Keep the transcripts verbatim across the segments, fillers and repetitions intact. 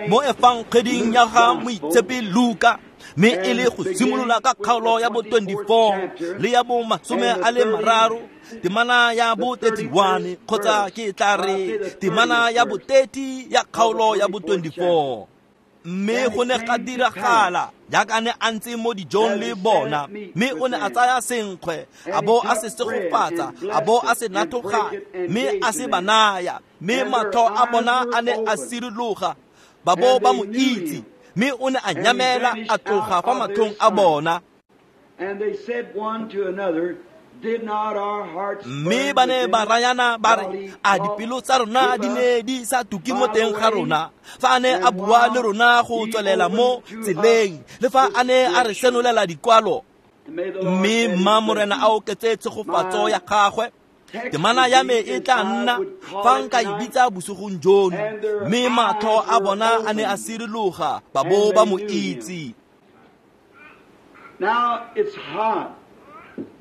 Mo efangeding ya ga Moitshepi Luka, mme e le go simolola ka kgaolo ya bo twenty-four le ya bo masome a le mararo, temana ya bo thirty-one, kgotsa ke tla re temana ya bo thirty ya kgaolo ya bo twenty-four. Mme go ne ga diragala jaaka ne a ntse mo dijong le bona, mme o ne a tsaya senkgwe, a bo a se segofatsa, a bo a se nathoga, mme a se ba naya, mme matlho a bona a ne a sirologa, ba bo ba mo itse, mme o ne a nyamela a tloga fa matlhong a bona. Mme ba ne ba rayana ba re, a dipelo tsa rona di ne di sa tuke mo teng ga rona fa a ne a bua le rona go tswelela mo tseleng, le fa a ne a re senolela dikwalo. Mme mma Morena a oketse tshegofatso ya gagwe. Temana ya me e tla nna fa nka e bitsa bosigong jono, mme matlho a bona a ne a sirologa, ba bo ba mo itse. Now it's hot.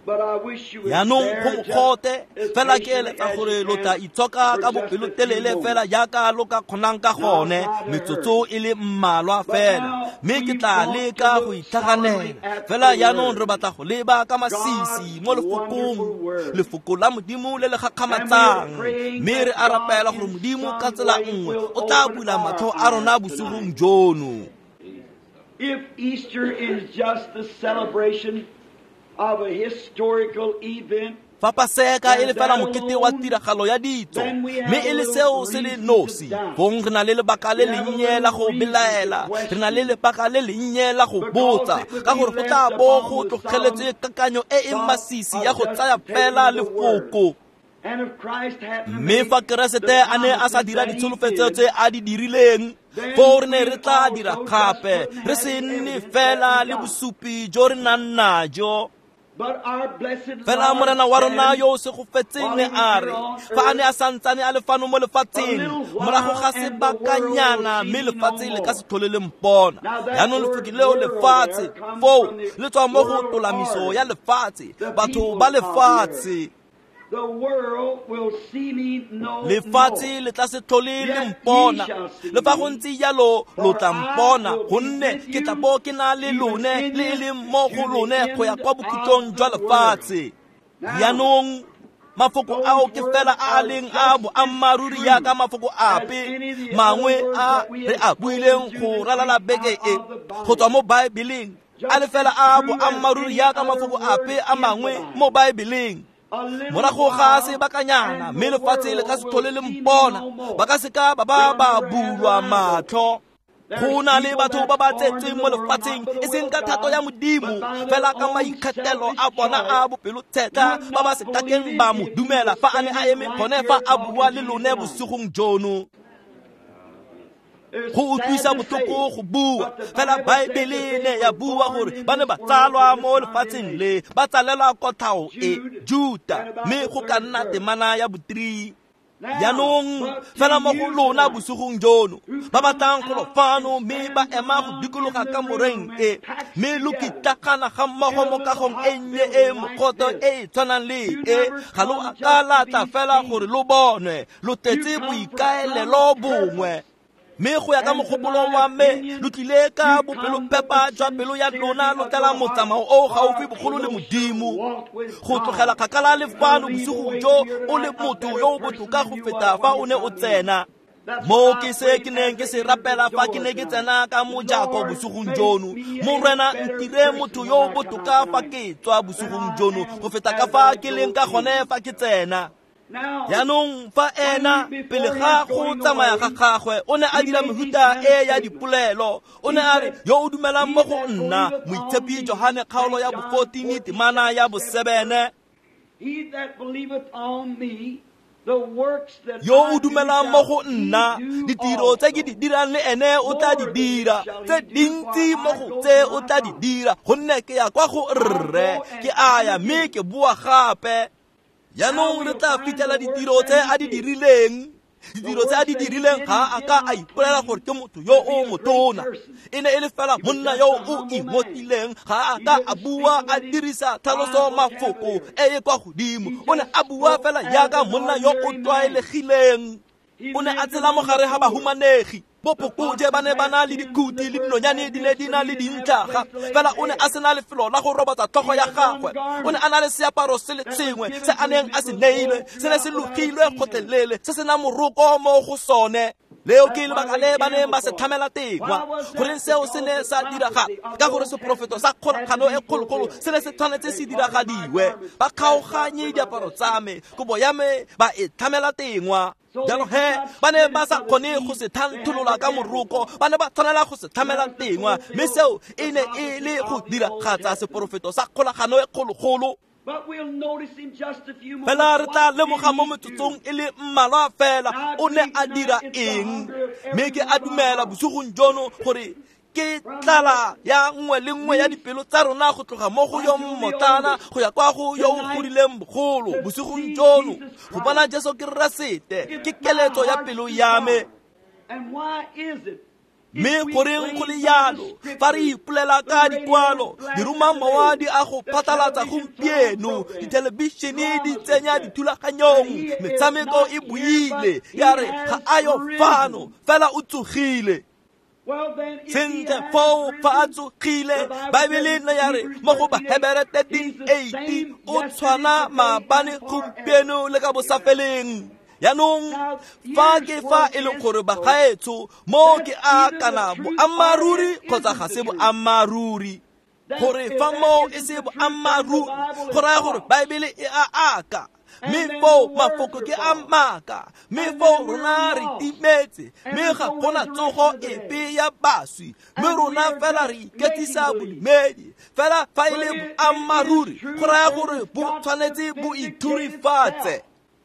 Jaanong go mogote, fela ke eletsa gore lo tla itshoka ka bopelotelele fela jaaka lo ka kgonang ka gone, metsotso e le mmalwa fela, mme ke tla leka go itlhaganela. Fela jaanong re batla go leba ka masisi mo lefokong, lefoko la Modimo le le gakgamatsang, mme re a rapela gore Modimo ka tsela nngwe o tla bula matlho a rona bosigong jono. If Easter is just the celebration of a historical event, fa Paseka e le fela mokete wa tiragalo ya ditso, mme e le seo se le nosi, fong re na le lebaka le lennye la go belaela, re na le lebaka le lennye la go botsa, ka gore go tla bo go tlogeletswe kakanyo e e masisi ya go tsaya fela lefoko. Mme fa Keresete a ne a sa dira ditsholofetso tse a di dirileng, foo re ne re tla dira gape, re se nne fela le bosupi jo re nang najo. Fela Morena wa rona yo o segofetseng ne a re, fa a ne a santsane a le fano mo lefatsheng, morago ga sebakanyana, mme lefatshe le ka se tlhole le mpona. Jaanong lefoko leo lefatshe foo le tswa mo go tolamiso ya lefatshe, batho ba lefatshe. Lefatshe le tla se tlhole le mpona, le fa go ntse jalo lo tla mpona, gonne ke tla bo ke na le lone le e leng mo go lone go ya kwa bokhutlong jwa lefatshe. Jaanong mafoko ao ke fela a a leng a boammaaruri jaaka mafoko ape mangwe a re a buileng go ralala beke e go tswa mo Baebeleng, a le fela a boammaaruri jaaka mafoko ape a mangwe mo Baebeleng. Morago ga sebakanyana, mme lefatshe le ka se tlhole le mpona, ba ka se ka ba ba ba bulwa matlho. Go na le batho ba ba tsetsweng mo lefatsheng e seng ka thato ya Modimo, fela ka maikgethelo a bona a bopelotshetlha, ba ba se kakeng ba mo dumela fa a ne a eme gone fa a bua le lone bosigong jono. Go utlwisa botlhoko go bua, fela Baebele ne ya bua gore ba ne ba tsalwa mo lefatsheng le, ba tsalelwa kotlhao e, Juta, mme go ka nna temana ya bo three. Jaanong fela mo go lona bosigong jono, ba batlang go lo fano mme ba ema go dikologa kamoreng e, mme lo kitlagana ga mmogo mo kagong e nnye e mogote e e tshwanang le e, ga lo a ka la tla fela gore lo bonwe, lo tletse boikaelelo bongwe. Mme go ya ka mogopolo wa me, lo tlile ka bopelopepa jwa pelo ya lona, lo tlala motsamao o gaufi bogolo le Modimo. Go tlogela kgakala le fano bosigo jo o le motho yo o botoka go feta fa o ne o tsena. Mo ke se ke neng ke se rapela fa ke ne ke tsena ka mojako bosigong jono, Morena ntire motho yo o botoka fa ke tswa bosigong jono go feta ka fa ke leng ka gone fa ke tsena. Jaanong fa ena pele ga go tsamaya ga gagwe o ne a dira mehuta e ya dipolelo, o ne a re, yo o dumelang mo go nna, Moitshepi Johane kgaolo ya bo fourteen temana ya bo seven, yo o dumelang mo go nna, ditiro tse ke di dirang le ene o tla di dira, tse dintsi mo go tse o tla di dira, gonne ke ya kwa go Rre, ke a ya mme ke boa gape. Jaanong re tla fitlhela ditiro tse a di dirileng. Ditiro tse a di dirileng ga a ka a ipolela gore ke motho yo o motona, e ne e le fela monna yo o ingotileng, ga a ka a bua a dirisa tlhaloso mafoko e e kwa godimo, o ne a bua fela jaaka monna yo o tlwaelegileng. O ne a tshela mo gare ga bahumanegi. Bophokojwe ba ne ba na le dikhuti le dinonyane di ne di na le dintlhaga, fela o ne a sena lefelo la go robatsa tlhogo ya gagwe. O ne a na le seaparo se le sengwe se a neng a se neilwe, se ne se logilwe gotlhelele, se sena moroko mo go sone. Leo ke lebaka le ba neng ba se tlhamela tengwa. Goreng seo se ne sa diragala? Ka gore seporofeto sa kgolagano e kgologolo se ne se tshwanetse se diragadiwe. Ba kgaoganye diaparo tsa me, kobo ya me ba e tlhamela tengwa. Jalo he ba ne ba sa kgone go se thantholola ka moroko, ba ne ba tshwanela go se tlhamela tengwa, mme seo e ne e le go diragatsa seporofeto sa kgolagano e kgologolo. Fela re tla lemoga mo metsotsong e le mmalwa fela o ne a dira eng. Mme ke a dumela bosigong jono gore ke tlala ya nngwe le nngwe ya dipelo tsa rona go tloga mo go yo mmotlana go ya kwa go yo o godileng bogolo bosigong jono go bona Jesu Keresete ke keletso ya pelo ya me. Mme goreng go le jalo fa re ipolela ka dikwalo, diromamowa di a go phatlalatsa gompieno, dithelebišene di tsenya dithulaganyong, metshameko e buile ya re ga a yo fano fela o tsogile. Sentle foo fa a tsogile, Baebele ne ya re mo go Bahebere thirteen eight o tshwana maabane gompieno le ka bosafeleng. Jaanong fa ke fa e leng gore bagaetsho mo ke a kana boammaaruri kgotsa ga se boammaaruri, gore fa mo e se boammaaruri go raya gore Baebele e a aka, mme foo mafoko ke a maaka, mme foo rona re timetse, mme ga gona tsogo epe ya baswi, mme rona fela re iketsisa bodumedi. Fela fa e le boammaaruri go raya gore bo tshwanetse bo ithurifatse.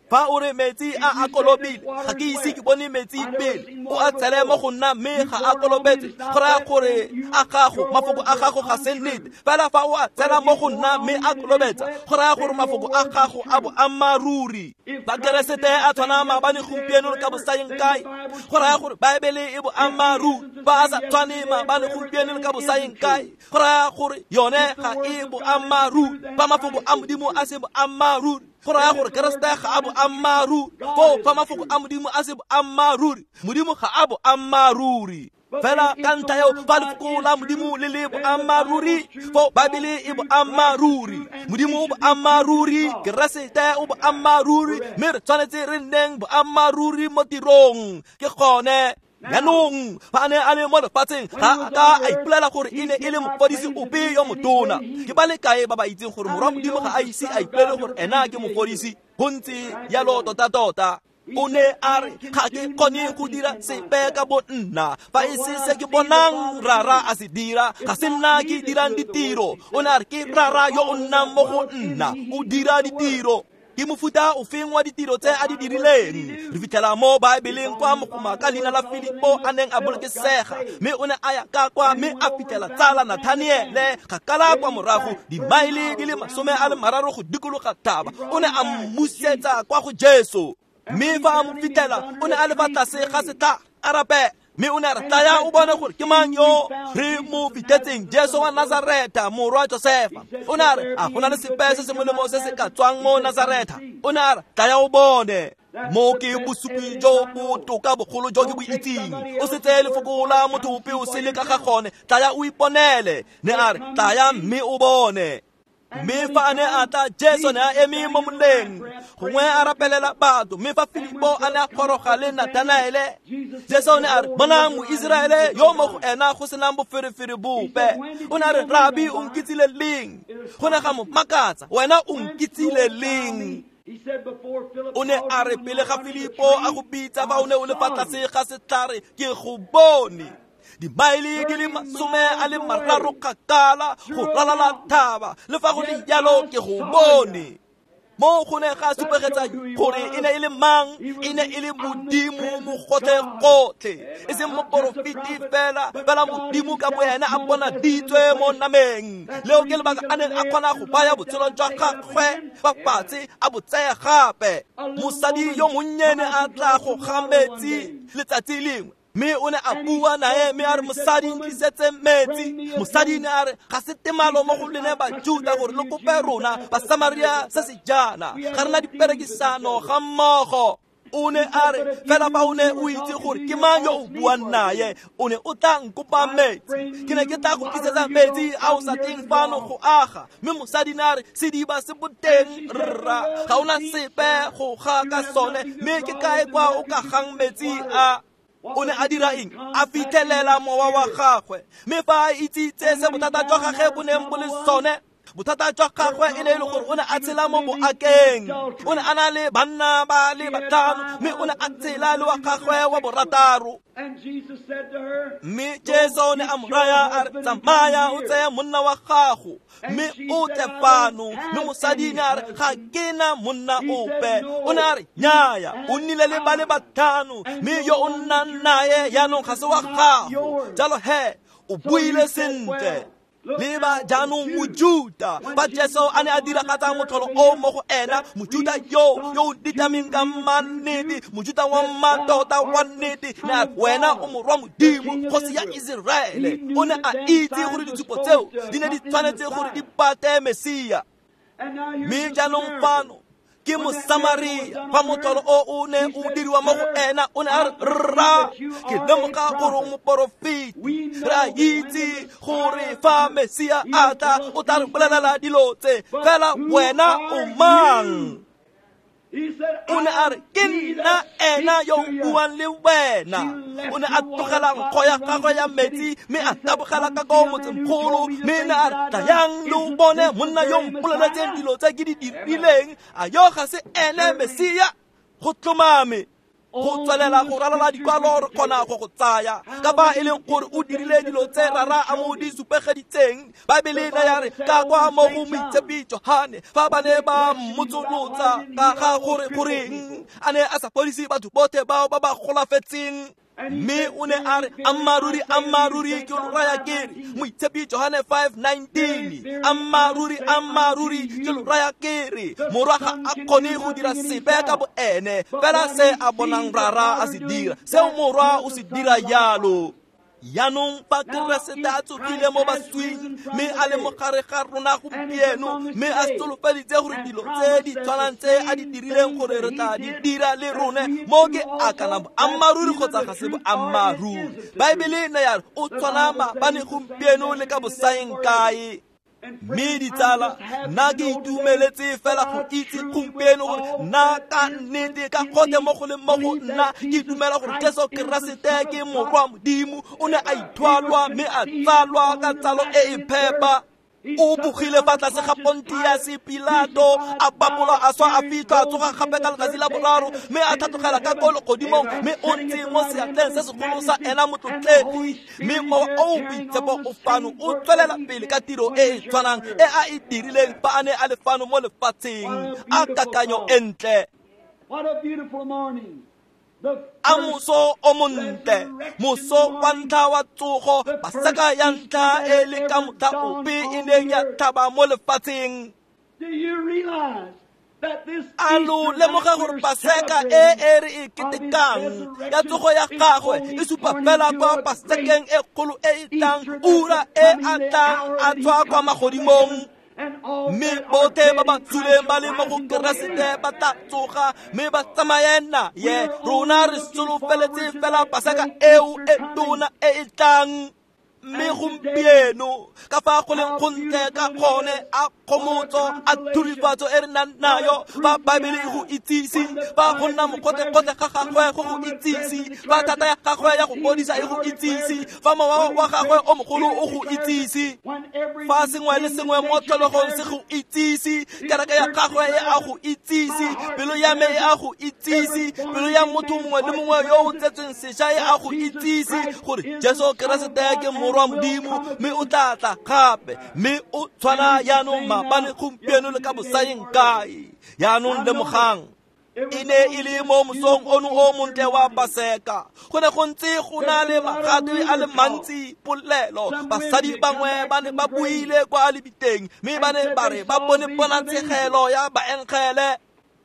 Fa o re metsi a a kolobile, ga ke ise ke bone metsi pele, o a tshele mo go nna mme ga a kolobetse, go raya gore a gago mafoko a gago ga se nnete. Fela fa o a tshela mo go nna mme a kolobetsa, go raya gore mafoko a gago a boammaaruri. Ba Keresete a tshwana maabane gompieno le ka bosaeng kae, go raya gore Baebele e boammaaruri. Fa a sa tshwane maabane gompieno le ka bosaeng kae, go raya gore yone ga e boammaaruri. Fa mafoko a Modimo a se boammaaruri, go raya gore Keresete ga a boammaaruri. Foo fa mafoko a Modimo a se boammaaruri, Modimo ga a boammaaruri. Fela ka ntlha eo fa lefoko la Modimo le le boammaaruri, foo Baebele e boammaaruri, Modimo o boammaaruri, Keresete o boammaaruri, mme re tshwanetse re nneng boammaaruri mo tirong. Ke gone. Jaanong fa a ne a le mo lefatsheng ga a ka a ipolela gore e ne e le mofodisi ope yo motona. Ke ba le kae ba ba itseng gore morwa Modimo ga a ise a ipolele gore ena ke mofodisi? Go ntse jalo tota-tota. O ne a re ga ke kgone go dira sepe ka bo nna, fa e se se ke bonang rara a se dira, ga se nna ke dirang ditiro. O ne a re ke rara yo o nnang mo go nna, o dira ditiro. Ke mofuta o feng wa ditiro tse a di dirileng? Re fitlhela mo Baebeleng kwa mogoma ka leina la Filipo a neng a bolokesega, mme o ne a ya ka kwa mme a fitlhela tsala Nathaniele kgakala kwa morago dimaele di le masome a le mararo go dikologa thaba. O ne a mmusetsa kwa go Jesu, mme fa a mo fitlhela o ne a le fa tlase ga setlhare a rapela. Mme o ne a re tlaya o bone gore ke mang yo re mo fitlhetseng, Jesu wa Nazareta morwa Josefa. O ne a re a go na le sepe se se molemo se se ka tswang mo Nazareta? O ne a re tlaya o bone. Mo ke bosupi jo botoka bogolo jo ke bo itseng. O se tseye lefoko la motho ope o sele ka ga gone, tlaya o iponele. Ne a re tlaya mme o bone. Mme fa a ne a tla, Jesu ne a eme mo moleng gongwe a rapelela batho. Mme fa Filipo a ne a goroga le Nathanaele, Jesu ne a re bonang Moiseraele yo mo go ena go senang boferefere bope. O ne a re Rabi, o nkitsile leng? Go ne ga mo makatsa, wena o nkitsile leng? O ne a re pele ga Filipo a go bitsa fa o ne o le fa tlase ga setlhare, ke go bone. Dimaele di le masome a le mararo kgakala go ralala thaba, le fa go le jalo ke go bone. Mo go ne ga supegetsa gore e ne e le mang, e ne e le Modimo mogotlhe-gotlhe, e seng moporofeti fela, fela Modimo ka bo ene a bonaditswe mo nameng. Leo ke lebaka a neng a kgona go baya botshelo jwa gagwe fa fatshe a bo tseye gape. Mosadi yo monnye ne a tla go ga metsi letsatsi lengwe, mme o ne a bua nae mme a re mosadi ntlisetse metsi. Mosadi ne a re ga se temalo mo go lene Bajuda gore le kope rona Basamaria se se jaana, ga re na diperekisano ga mmogo. O ne a re fela fa o ne o itse gore ke mang yo o buang naye, o ne o tla nkopa metsi, ke ne ke tla go tlisetsa metsi a o sa tleng fano go aga. Mme mosadi ne a re sediba se boteng rra, ga ona sepe go ga ka sone, mme ke kae kwa o ka gang metsi a? O ne a dira eng? A fitlhelela mowa wa gagwe. Mme fa a itsitse se bothata jwa gagwe bo neng bo le sone, bothata jwa gagwe e ne e le gore o ne a tshela mo boakeng. O ne a na le banna ba le batlhano, mme o ne a tshela le wa gagwe wa borataro. Mme Jesu o ne a mo raya a re, tsamaya o tseye monna wa gago mme o tle fano. Mme mosadi ne a re, ga ke na monna ope. O ne a re, nnyaya, o nnile le ba le batlhano, mme yo o nnang naye jaanong ga se wa gago. Jalo he, o buile sentle. Leba jaanong Mojuta, fa Jesu a ne a diragatsa motlholo o mo go ena, Mojuta yo yo o ditameng ka mannete, Mojuta wa mmatota wa nnete, ne a re, wena o morwa Modimo, kgosi ya Iseraele. O ne a itse gore ditshupo tseo di ne di tshwanetse gore di pate Mesia. Mme jaanong fano ke Mosamaria, fa motlholo o o ne o diriwa mo go ena, o ne a re, rra, ke lemoga gore o moporofeti. Re a itse gore fa Mesia a tla, o tla re bolelela dilo tse, fela wena o mang? O ne a re, ke nna ena yo o buang le wena. O ne a tlogela nkgo ya gagwe ya metsi, mme a tabogela ka ko motsemogolo, mme ne a re, tlayang le o bone monna yo mpoleletseng dilo tse ke di dirileng. A yo ga se ene Mesia? Go tlhomame. Go tswelela go ralala dikwalo re kgona go go tsaya ka fa e leng gore o dirile dilo tse rara a mo di supegeditseng. Baebele ne ya re ka kwa mo go Moitshepi Johane, fa ba ne ba mmotsolotsa ka ga gore goreng a ne a sa fodise batho botlhe bao ba ba golafetseng, mme o ne a re, ammaruri ammaruri ke lo raya ke re, Moitshepi Johane five nineteen, ammaruri ammaruri ke lo raya ke re, morwa ga a kgone go dira sepe ka boene, fela se a bonang rara a se dira, seo morwa o se dira jalo. Jaanong fa Keresete a tsogile mo baswing, mme a le mo gare ga rona gompieno, mme a solofeditse gore dilo tse di tshwanang tse a di dirileng gore re tla di dira le rone, mo ke akana boammaaruri kgotsa ga se boammaaruri. Baebele ne ya re o tshwana maabane gompieno le ka bosaeng kae. Mme ditsala, nna ke itumeletse fela go itse gompieno gore nna ka nnete ka gotlhe mo go leng mo go nna ke dumela gore Jesu Keresete ke morwa Modimo. O ne a ithwalwa mme a tsalwa ka tsalo e e phepa. O bogile fa tlase ga Pontius Pilato, a bapolwa, a swa, a fitlhwa, a tsoga gape ka letsatsi la boraro, mme a tlhatlogela ka ko legodimong, mme o ntse mo seatleng se segolo sa ena motlotlegi. Mme mowa o o boitshepo o fano o tswelela pele ka tiro e e tshwanang e a e dirileng fa a ne a le fano mo lefatsheng. A kakanyo e ntle. A moso o montle, moso wa ntlha wa tsogo, Paseka ya ntlha e le ka motlha ope e neng ya tlhaba mo lefatsheng. A lo lemoga gore Paseka e e re e ketekang ya tsogo ya gagwe e supa fela kwa Pasekeng e kgolo e e tlang, ura e a tlang a tswa kwa magodimong. Mme botlhe ba ba tswileng ba le mo go Keresete ba tla tsoga mme ba tsamaye naye. Rona re solofeletse fela Paseka eo e tona e e tlang. Mme gompieno ka fa go leng gontle ka gone, a kgomotso, a thurifatso e re nang nayo, fa Baebele e go itsise, fa go nna mogote-gote ga gagwe go go itsise, fa thata ya gagwe ya go fodisa e go itsise, fa mowa wa gagwe o mogolo o go itsise, fa sengwe le sengwe mo tlholegong se go itsise, kereke ya gagwe e a go itsise, pelo ya me e a go itsise, pelo ya motho mongwe le mongwe yo o tsetsweng sešwa e a go itsise gore Jesu Keresete ke morwa Modimo, mme o tla tla gape, mme o tshwana jaanong maabane gompieno le ka bosaeng kae. Jaanong lemogang, e ne e le mo mosong ono o montle wa Paseka. Go ne go ntse go na le magatwe a le mantsi polelo. Basadi bangwe ba ne ba buile kwa lebiteng, mme ba ne ba re ba bone ponatshegelo ya baengele.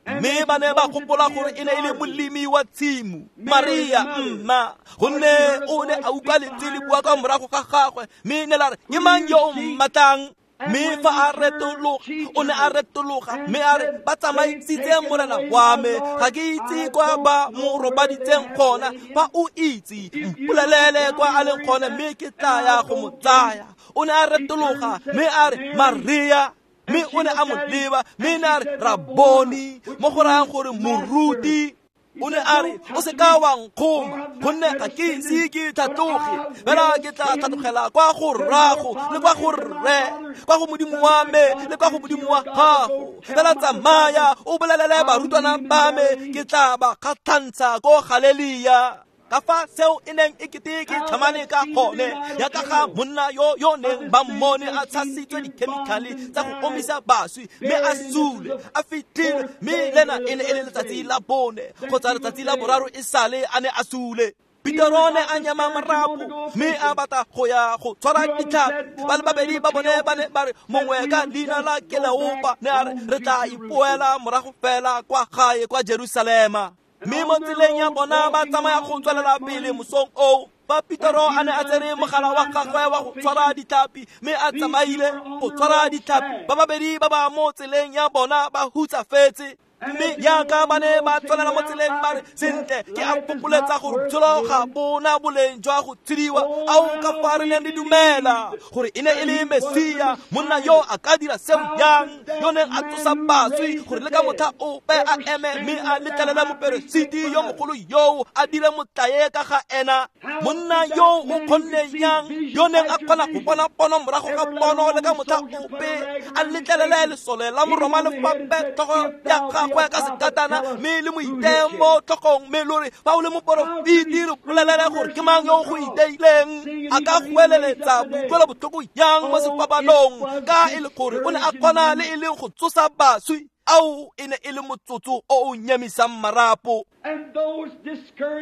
Mme ba ne ba gopola gore e ne e le molemi wa tshimo, Maria mma, gonne o ne a utlwa lentswe le bua ka morago ga gagwe, mme ne la re, ke mang yo o mmatlang? Mme fa a retologa, o ne a retologa mme a re, ba tsamaisitse morena wa me, ga ke itse kwa ba mo robaditseng gona. Fa o itse, mpolelele kwa a leng gone, mme ke tla ya go mo tsaya. O ne a retologa mme a re, Maria. Mme o ne a mo leba mme ne a re, Raboni, mo go rayang gore moruti. O ne a re, o se ka wa nkgoma, gonne ga ke ise ke tlhatloge, fela ke tla tlhatlogela kwa go rrago le kwa go rre, kwa go Modimo wa me le kwa go Modimo wa gago. Fela tsamaya o bolelele barutwana ba me, ke tla ba kgatlhantsha ko Galelia. Ka fa seo e neng e kete ke tlhamane ka gone, ya ka ga monna yo yo neng ba mmone a tshasitswe dikhemikhale tsa go omisa baswi, mme a sule, a fitlhile, mme lena e ne e le letsatsi la bone kgotsa letsatsi la boraro e sale a ne a sule. Petero ne a nyama marapo mme a batla go ya go tshwara ditlhapi. Ba le babedi ba bone ba ne ba re, mongwe ka leina la Keleopa ne a re, re tla ipoela morago fela kwa gae kwa Jerusalema. Mme mo tseleng ya bona ba tsamaya go tswelela pele mosong oo, fa Petero a ne a tsere mogala wa gagwe wa go tshwara ditlhapi mme a tsamaile go tshwara ditlhapi, ba babedi ba ba mo tseleng ya bona ba hutsafetse. Mme jaaka ba ne ba tswelela mo tseleng ba re, sentle, ke a fokoletsa gore botshelo ga bona boleng jwa go tshediwa. Ao ka fa re neng re dumela gore e ne e le Mesia, monna yo a ka dira seo jang, yo neng a tsosa baswi, gore le ka motlha ope a eme mme a letlelele moperesiti yo mogolo yoo a dire motlae ka ga ena. Monna yo o kgonne jang, yo neng a kgona go bona pono morago ga pono le ka motlha ope a letlelele lesole la Moroma le fape tlhogo ya gagwe ka sekatana, mme le mo iteye mo tlhogong, mme lo re, fa o le moporofeti, re bolelele gore ke mang yo go iteileng. A ka goeleletsa boutlwelobotlhoko jang mo sefapanong, ka e le gore o ne a kgona le e leng go tsosa baswi. Ao e ne e le motsotso o o nyemisang marapo.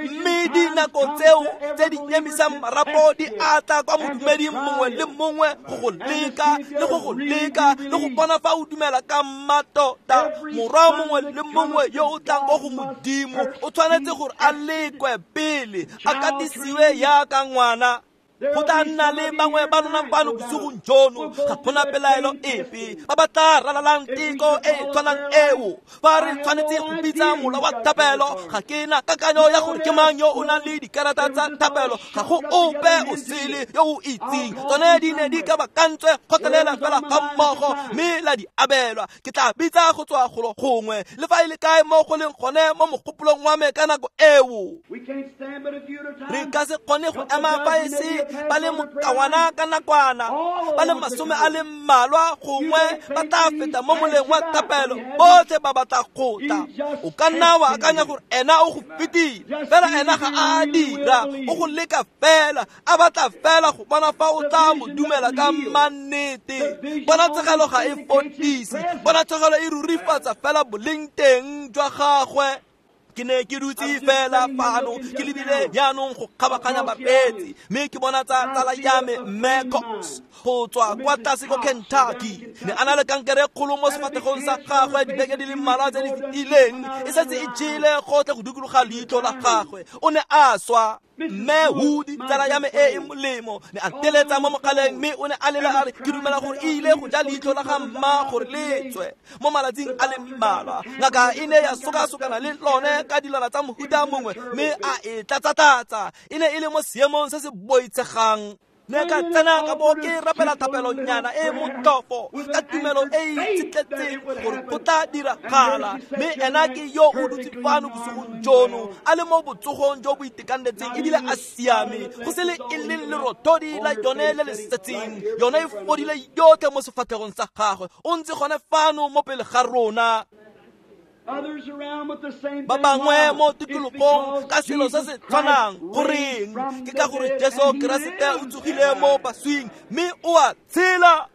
Mme dinako tseo tse di nyemisang marapo di atla kwa modumeding mongwe le mongwe go go leka le go go leka le go bona fa o dumela ka mmatota. Morwa mongwe le mongwe yo o tlang ko go Modimo o tshwanetse gore a lekwe pele, a katisiwe jaaka ngwana. Go tla nna le bangwe ba lona fano bosigong jono, ga gona pelaelo epe, ba ba tla ralalang teko e e tshwanang eo. Fa re tshwanetse go bitsa mola wa thapelo, ga ke na kakanyo ya gore ke mang yo o nang le dikarata tsa thapelo, ga go ope o sele yo o itseng. Tsone di ne di kabakantswe kgotlelela fela ga mmogo mme la di abelwa. Ke tla bitsa go tswa golo gongwe, le fa e le kae mo go leng gone mo mogopolong wa me ka nako eo. Re ka se kgone go ema fa e se ba le mokawana ka nakwana, ba le masome a le mmalwa gongwe ba tla feta mo moleng wa thapelo, botlhe ba batla go tla. O ka nna wa akanya gore ena o go fetile, fela ena ga a dira, o go leka fela, a batla fela go bona fa o tla mo dumela ka mannete. Ponatshegelo ga e fodise, ponatshegelo e rurifatsa fela boleng teng jwa gagwe. Ke ne ke dutse fela fano, ke lebile jaanong go kgabaganya bareetsi, mme ke bona tsa tsala ya me Mme Cox go tswa kwa tlase ko Kentucky. Ne a na le kankere e kgolo mo sefatlhegong sa gagwe dibeke di le mmalwa tse di fetileng, e setse e jele gotlhe go dikologa leitlho la gagwe. O ne a swa. Mme Wood, tsala ya me e e molemo, ne a teletsa mo mogaleng mme o ne a lela a re, ke dumela gore e ile go ja leitlho la ga mma gore le tswe mo malatsing a le mmalwa. Ngaka e ne ya sokasokana le lone ka dilwana tsa mohuta mongwe mme a e tlatsa-tlatsa. E ne e le mo seemong se se boitshegang. Ne ka tsena ka bo ke rapela thapelonyana e motlhofo ka tumelo e e itshetletseng gore go tla diragala. Mme ena ke yo o dutse fano bosigong jono, a le mo botsogong jo bo itekanetseng ebile a siame, go se le e leng lerothodi la yone le le setseng. Yone e fodile yotlhe mo sefatlhegong sa gagwe. O ntse gone fano mo pele ga rona. Ba bangwe mo tikologong ka selo se se tshwanang. Goreng? Ke ka gore Jesu Keresete o tsogile mo baswing mme o a tshela.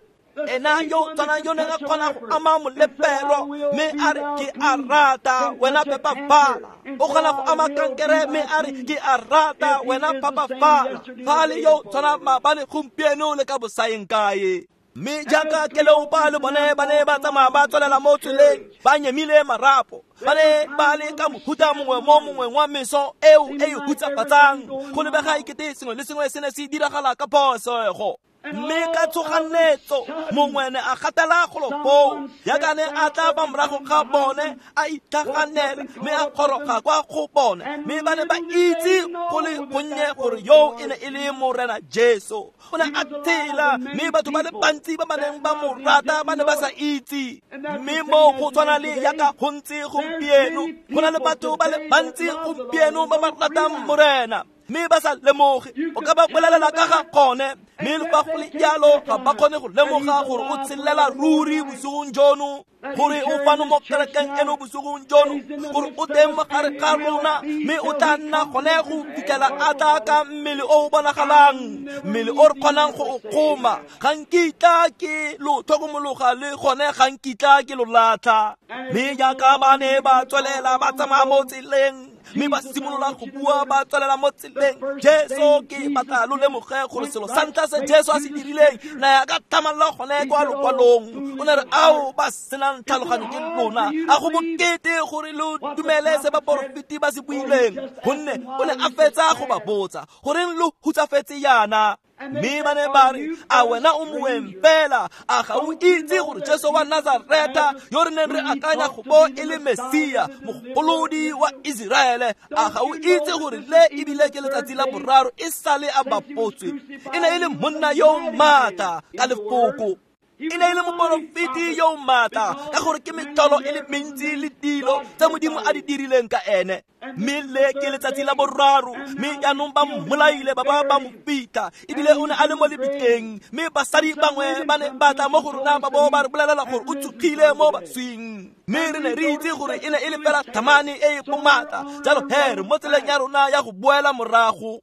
Ena yo tshwanang yo neng a kgona go ama molepero mme a re, ke a rata wena pepafala. O kgona go ama kankere mme a re, ke a rata wena phapafala. Fa a le yo tshwanang maabane, gompieno le ka bosaeng kae. Mme jaaka Keleopa le bone ba ne ba tsamaya ba tswelela mo tseleng ba nyemile marapo, ba ne ba le ka mohuta mongwe mo mongweng wa meso eo e e hutsafatsang. Go lebega ekete sengwe le sengwe se ne se diragala ka phosego. Mme ka tshoganetso mongwe ne a gatela golo foo jaaka ne a tla fa morago ga bone a itlhaganela mme a goroga kwa go bone mme ba ne ba itse go le gonnye gore yo e ne e le Morena Jesu. O ne a tshela mme batho ba le bantsi ba ba neng ba mo rata ba ne ba sa itse. Mme mo go tshwana le jaaka go ntse gompieno, go na le batho ba le bantsi gompieno ba ba ratang Morena mme ba sa lemoge. O ka ba bolelela ka ga gone mme le fa go le jalo ga ba kgone go lemoga gore o tshelela ruri bosigong jono, gore o fano mo kerekeng eno bosigong jono, gore o teng mo gare ga rona mme o tla nna gone go fitlhela a tla ka mmele o o bonagalang, mmele o re kgonang go o kgoma. Ga nkitla ke lo tlhokomologa le gone ga nkitla ke lo latlha. Mme jaaka ba ne ba tswelela ba tsamaya mo tseleng mme ba simolola go bua ba tswelela mo tseleng, Jesu ke batla lo lemoge gore selo sa ntlha se Jesu a se dirileng na ya ka tlhamallo gone kwa lokwalong. O ne re ao ba senang tlhaloganyo ke lona, a go bokete gore lo dumele se baporofeti ba se buileng, gonne o ne a fetsa go ba botsa goreng lo hutsafetse yana. Mme ba ne ba re, a wena o moeng fela, a ga o itse gore Jesu wa Nazareta yo re neng re akanya go bo e le Mesia mogolodi wa Iseraele, a ga o itse gore le ebile ke letsatsi la boraro e sale a bapotswe. E ne e le monna yo maatla ka lefoko, e ne e le moporofeti yo maatla ka gore ke metlholo e le mentsi le dilo tse Modimo a di dirileng ka ene. Mme le ke letsatsi la boraro mme jaanong ba mmolaile ba ba ba mo fitlha, ebile o ne a le mo lebitleng. Mme basadi bangwe ba ne ba tla mo go rona ba bo ba re bolelela gore o tsogile mo baswing, mme re ne re itse gore e ne e le fela thamane e e bomatla. Jalo he re mo tseleng ya rona ya go boela morago.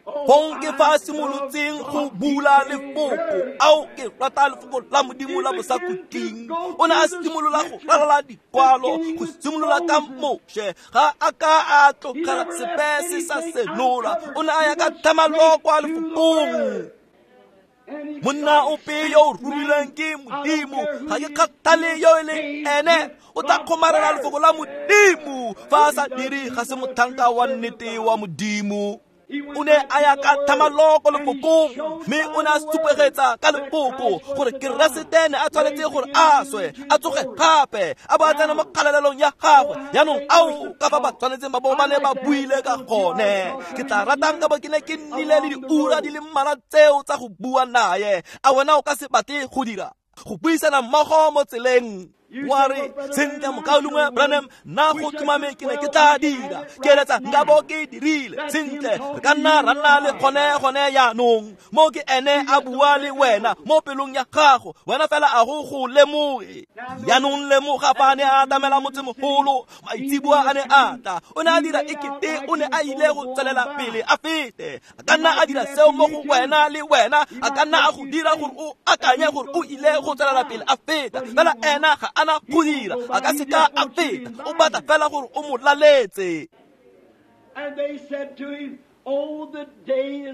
Fong ke fa a simolotseng go bula lefoko, ao ke rata lefoko la Modimo la bosakhutleng. O ne a simolola go ralala dikwalo, go simolola ka Moshe, ga a ka a tlogela sepe se sa senola. O ne a ya ka tlhamallo kwa lefokong. Monna ope yo o romilweng ke Modimo, ga ke kgathale yo e leng ene, o tla kgomarela lefoko la Modimo. Fa a sa dire ga se motlhanka wa nnete wa Modimo. O ne a ya ka tlhamallo ko lefokong mme o ne a supegetsa ka lefoko gore Keresete ne a tshwanetse gore a swe, a tsoge gape, a bo a tsena mo kgalalelong ya gagwe. Jaanong ao ka fa ba tshwanetseng ba bo ba ne ba buile ka gone. Ke tla ratang ka bo ke ne ke nnile le diura di le mmalwa tseo tsa go bua naye. A wena o ka se batle go dira go buisana mmogo mo tseleng? Wa re, sentle mokaulengwe Branham, nna go tlhomame ke ne ke tla dira, ke eletsa nka bo ke dirile. Sentle re ka nna ra nna le gone gone jaanong. Mo ke ene a bua le wena mo pelong ya gago, wena fela a go go lemoge. Jaanong lemoga fa a ne a atamela motsemogolo, maitseboa a ne a tla, o ne a dira ekete o ne a ile go tswelela pele a fete. A ka nna a dira seo mo go wena le wena, a ka nna a go dira gore o akanye gore o ile go tswelela pele a feta, fela ena ga ana go dira, a ka seka a feta. O batla fela gore o mo laletse.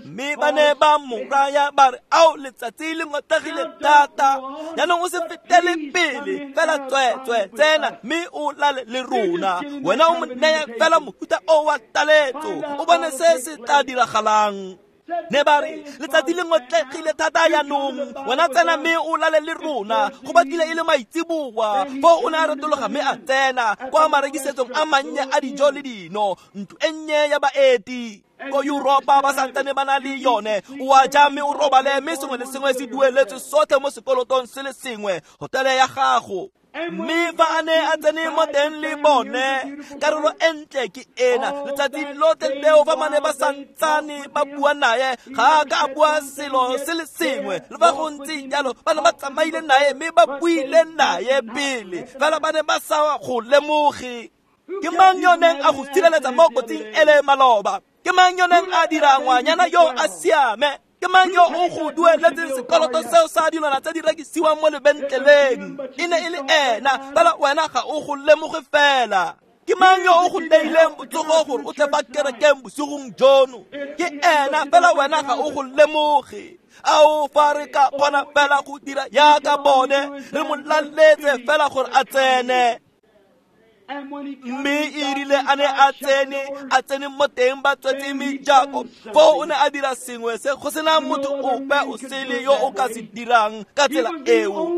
Mme ba ne ba mo raya ba re, ao letsatsi le ngotlegile thata, jaanong o se fetele pele fela, tsweetswe tsena mme o lale le rona. Wena o mo neye fela mohuta o wa taletso, o bone se se tla diragalang. Ne ba re, letsatsi le ngotlegile thata jaanong, wena tsena mme o lale le rona. Go batlile e le maitseboa. Foo o ne a retologa mme a tsena kwa marekisetsong a mannye a dijo le dino, ntlo e nnye ya baeti. Ko Yuropa ba santsane ba na le yone. O a ja mme o robale, mme sengwe le sengwe se dueletswe sotlhe mo sekolotong se le sengwe, hotele ya gago. Mme fa a ne a tsene mo teng le bone, karolo e ntle ke ena. Letsatsi lotlhe leo fa ba ne ba santsane ba bua naye, ga a ka a bua selo se le sengwe. Le fa go ntse jalo, ba ne ba tsamaile naye mme ba buile naye pele, fela ba ne ba sa go lemoge. Ke mang yo neng a go sireletsa mo kotsing ele maloba? Ke mang yo neng a dira ngwanyana yo a siame? Ke mang yo o go dueletseng sekoloto seo sa dilwana tse di rekisiwang mo lebentleleng? E ne e le ena, fela wena ga o go lemoge fela. Ke mang yo o go neileng botsogo gore o tle fa kerekeng bosigong jono? Ke ena, fela wena ga o go lemoge. Ao fa re ka kgona fela go dira jaaka bone, re mo laletse fela gore a tsene. Mme e rile a ne a tsene a tsene mo teng ba tswetse mejako, foo o ne a dira sengwe se go sena motho ope o sele yo o ka se dirang ka tsela eo.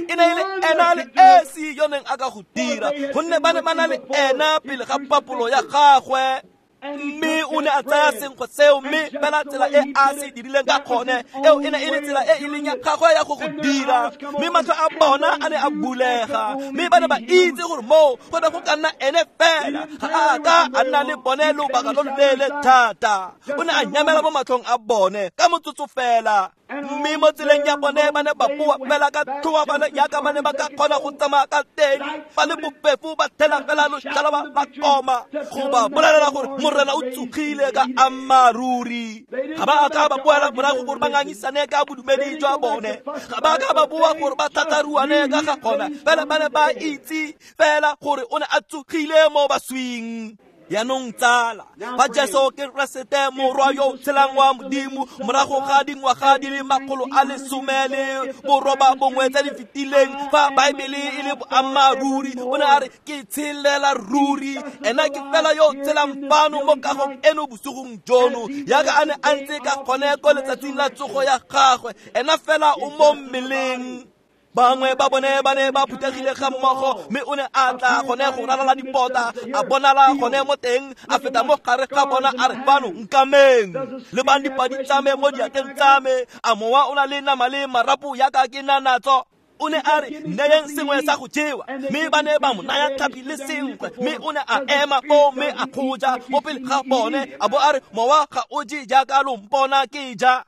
E ne e le ena le esi yo neng a ka go dira, gonne ba ne ba na le ena pele ga papolo ya gagwe. Mme o ne a tsaya senkgwe seo, mme fela tsela e a se dirileng ka gone eo e ne e le tsela e e leng ya gagwe ya go go dira. Mme matlho a bona a ne a bulega, mme ba ne ba itse gore moo go ne go ka nna ene fela. Ga a ka a nna le bone lobaka lo loleele thata, o ne a nyamela mo matlhong a bone ka motsotso fela. Mme mo tseleng ya bone ba ne ba boa fela ka tlhoafalo jaaka ba ne ba ka kgona go tsamaya ka teng, ba le bofefo ba thela fela loshalaba ba koma go ba bolelela gore Morena o tsogile ka ammaaruri. Ga ba a ka ba boela morago gore ba ngangisane ka bodumedi jwa bone, ga ba ka ba boa gore ba tlhatlaruane ka ga gona, fela ba ne ba itse fela gore o ne a tsogile mo baswing. Jaanong tsala, fa Jesu Keresete morwa yo o tshelang wa Modimo morago ga dingwaga di le makgolo a lesome le boroba bongwe tse di fetileng, fa Baebele e le boammaaruri, o ne a re ke tshelela ruri. Ena ke fela yo o tshelang fano mo kagong eno bosigong jono, jaaka a ne a ntse ka gone ko letsatsing la tsogo ya gagwe. Ena fela o mo mmeleng. Bangwe ba bone ba ne ba phuthegile ga mmogo, mme o ne a tla gone go ralala dipota, a bonala gone mo teng, a feta mo gare ga bona, a re fano nkameng, lebang dipadi tsa me mo diatleng tsa me, a mowa o na le nama le marapo jaaka ke na natso. O ne a re neyeng sengwe sa go jewa, mme ba ne ba mo naya tlhapi le senkgwe, mme o ne a ema foo mme a go ja mo pele ga bone, a bo a re mowa ga o je jaaka lo mpona ke ja.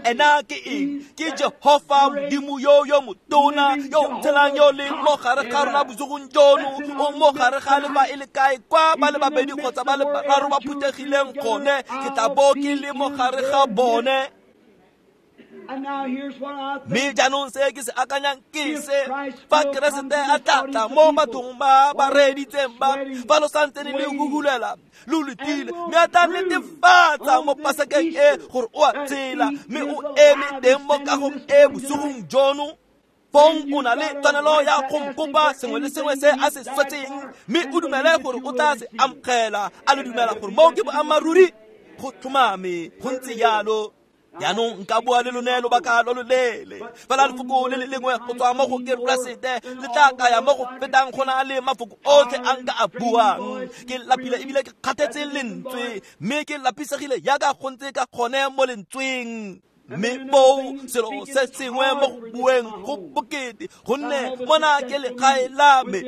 Ena ke eng? Ke Jehofa Modimo yo yo motona yo o tshelang yo leng mo gare ga rona bosigong jono, o mo gare ga le fa e le kae kwa ba le babedi kgotsa ba le bararo ba phuthegileng gone, ke tla bo ke le mo gare ga bone. Mme jaanong se ke se akanyang ke se, fa Keresete a tla tla mo bathong ba ba reeditseng ba, fa lo santsene le huhulela lo letile, mme a tla netefatsa mo pasekeng e gore o a tshela, mme o eme teng mo kagong e bosigong jono, fong o na le tshwanelo ya go nkopa sengwe le sengwe se a se swetseng, mme o dumele gore o tla se amogela. A le dumela gore moo ke boammaaruri? Go tlhomame, go ntse jalo. Jaanong nka bua le lone lobaka lo loleele, fela lefoko le le lengwe go tswa mo go Keresete le tla kaya mo go fetang go na le mafoko otlhe a nka a buang. Ke lapile ebile ke kgathetse lentswe, mme ke lapisegile jaaka go ntse ka gone mo lentsweng. Mme foo selo se sengwe mo go bueng go bokete, gonne mona ke legae la me.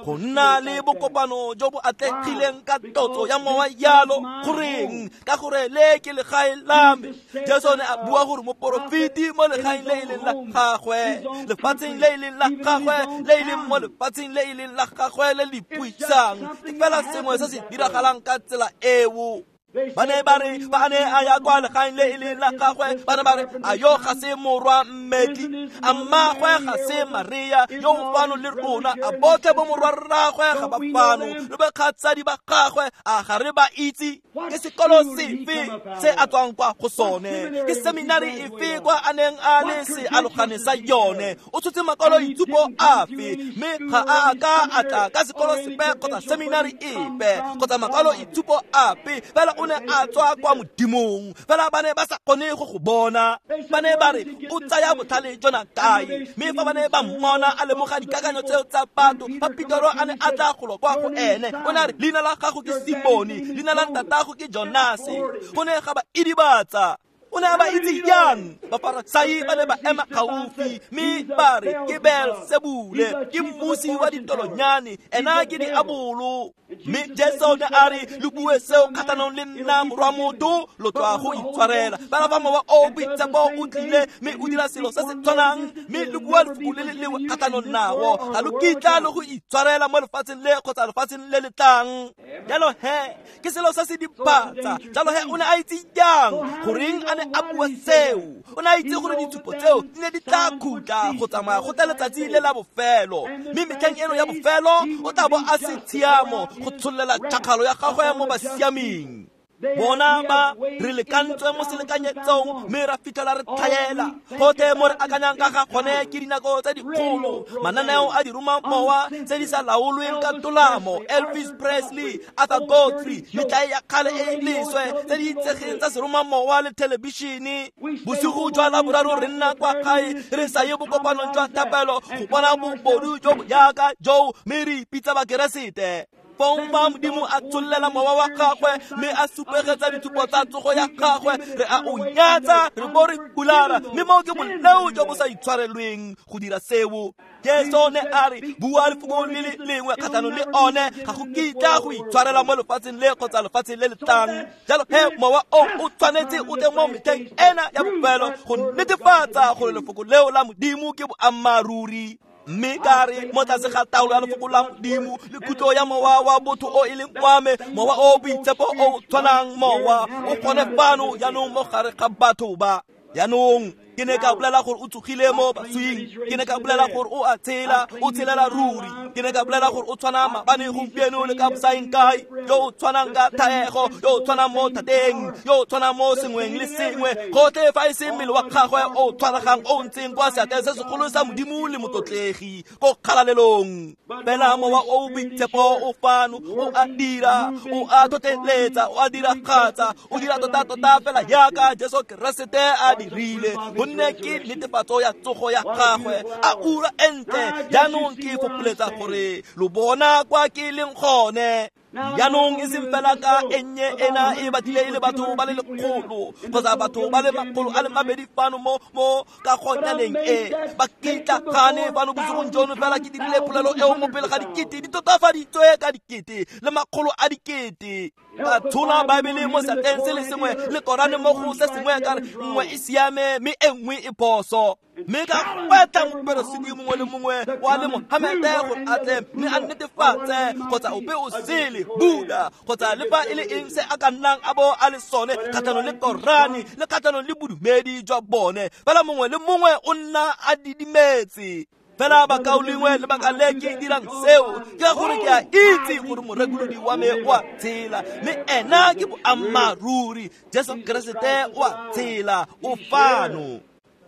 Go nna le bokopano jo bo atlegileng ka tlotso ya mowa jalo, goreng? Ka gore le ke legae la me. Jesu ne a bua gore moporofeti mo legaeng le e leng la gagwe, lefatsheng le e leng la gagwe, le e leng mo lefatsheng le e leng la gagwe le le ipuisang. Ke fela sengwe se se diragalang ka tsela eo. Ba ne ba re ba ne a ya kwa legaeng le e leng la gagwe, ba ne ba re a yo ga se morwa mmetli, a mmagwe ga se Maria yo o fano le rona, a botlhe bo morwa rragwe ga ba fano, le bakgatsadi ba gagwe a ga re ba itse? Ke sekolo sefe se a tswang kwa go sone? Ke seminari efe kwa a neng a le sealogane sa yone? O tshotse makwaloitshupo afe? Mme ga a ka a tla ka sekolo sepe kgotsa seminari epe kgotsa makwaloitshupo ape, fela o ne a tswa kwa Modimong. Fela ba ne ba sa kgone go go bona. Ba ne ba re o tsaya botlhale jona kae? Mme fa ba ne ba mmona a lemoga dikakanyo tseo tsa batho, fa Petero a ne a tla golo kwa go ene, o ne a re leina la gago ke Simone, leina la ntatago ke Jonase. Go ne ga ba idibatsa. O ne a ba itse jang? Bafarasai ba ne ba ema gaufi, mme ba re ke Beelsebule, ke mmusi wa ditolonyane, ena ke diabolo. Mme Jesu ne a re lo bue seo kgatlhanong le nna morwa motho, lo tswa go itshwarela. Fela fa mowa o boitshepo o tlile mme o dira selo se se tshwanang, mme lo bua lefoko le le lengwe kgatlhanong nao, ga lo kitla le go itshwarela mo lefatsheng le kgotsa lefatsheng le le tlang. Jalo he, ke selo se se diphatsa. Jalo he, o ne a itse jang goreng a ne a bua seo? O ne a itse gore ditshupo tseo di ne di tla khutla go tsamaya go tla letsatsi le la bofelo, mme metlheng eno ya bofelo o tla bo a se tshiamo go tshollela tšhakgalo ya gagwe mo basiaming. Bona ba re lekantswe mo selekanyetsong mme ra fitlhela re tlhaela. Gotlhe mo re akanyang ka ga gone ke dinako tse dikgolo, mananeo a diromamowa tse di sa laolweng ka tolamo, Elvis Presley, Arthur Godfrey, metlae ya kgale e e leswe tse di itsegeng tsa seromamowa le thelebišene. Bosigo jwa Laboraro re nna kwa gae re sa ye bokopanong jwa thapelo go bona bobodu jo bo jaaka joo mme re ipitsa Bakeresete. Fong fa Modimo a tshollela mowa wa gagwe mme a supegetsa ditshupo tsa tsogo ya gagwe, re a o nyatsa, re bo re hulara, mme moo ke boleo jo bo sa itshwarelweng go dira seo. Jesu ne a re, bua lefoko le le lengwe kgatlhanong le one, ga go kitla go itshwarela mo lefatsheng le kgotsa lefatsheng le le tlang. Jalo he mowa o o tshwanetse o tle mo metlheng ena ya bofelo go netefatsa gore lefoko leo la Modimo ke boammaaruri. Mme ka re mo tlase ga taolo ya lefoko la Modimo le kutlo ya mowa wa botho o e leng wa me, mowa o boitshepo o tshwanang mowa o gone fano jaanong mo gare ga batho ba. Jaanong ke ne ka bolela gore o tsogile mo baswing, ke ne ka bolela gore o a tshela, o tshelela ruri, ke ne ka bolela gore o tshwana maabane, gompieno le ka bosaeng kae, yo o tshwanang ka thaego, yo o tshwanang mo thateng, yo o tshwanang mo sengweng le sengwe, gotlhe fa e se mmele wa gagwe o tshwaregang o ntseng kwa seatleng se segolo sa Modimo le motlotlegi ko kgalalelong. Fela mowa o boitshepo o fano, o a dira, o a tlotleletsa, o a diragatsa, o dira tota-tota fela jaaka Jesu Keresete a dirile. Gonne ke netefatso ya tsogo ya gagwe, a ura e ntle. Jaanong ke fopoletsa gore lo bona kwa ke leng gone. Jaanong e seng fela ka e nnye ena e batlile e le batho ba le lekgolo kgotsa batho ba le makgolo a le mabedi fano mo mo kagonyaneng e ba kitlagane fano bosigong jono. Fela ke dirile polelo eo mo pele ga dikete di totafaditswe ka dikete le makgolo a dikete. Ka tshola Baebele mo seatleng se le sengwe le Korane mo go se sengwe, ka re nngwe e siame mme e nngwe e phoso. Mme ka gwetlha moperesiti mongwe le mongwe wa le Mohamede gore a tle mme a netefatse kgotsa ope o sele, Buddha kgotsa le fa e le eng se a ka nnang a bo a le sone kgatlhanong le Korane le kgatlhanong le bodumedi jwa bone. Fela mongwe le mongwe o nna a didimetse. Fela bakaulengwe, lebaka le ke dirang seo ke ka gore ke a itse gore morekolodi wa me o a tshela, mme ena ke boammaaruri. Jesu Keresete o a tshela, o fano.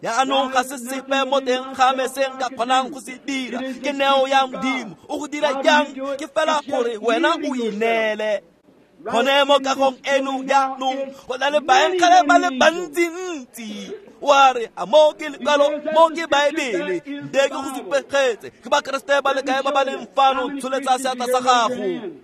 Jaanong ga se sepe mo teng ga me se nka kgonang go se dira, ke neo ya Modimo. O go dira jang? Ke fela gore wena o ineele. Gone mo kagong eno jaanong go na le baengele ba le bantsintsi. Wa re, a mo ke lekwalo, mo ke Baebele, nte ke go supegetse. Ke Bakeresete ba le kae ba ba leng fano? Tsholetsa seatla sa gago.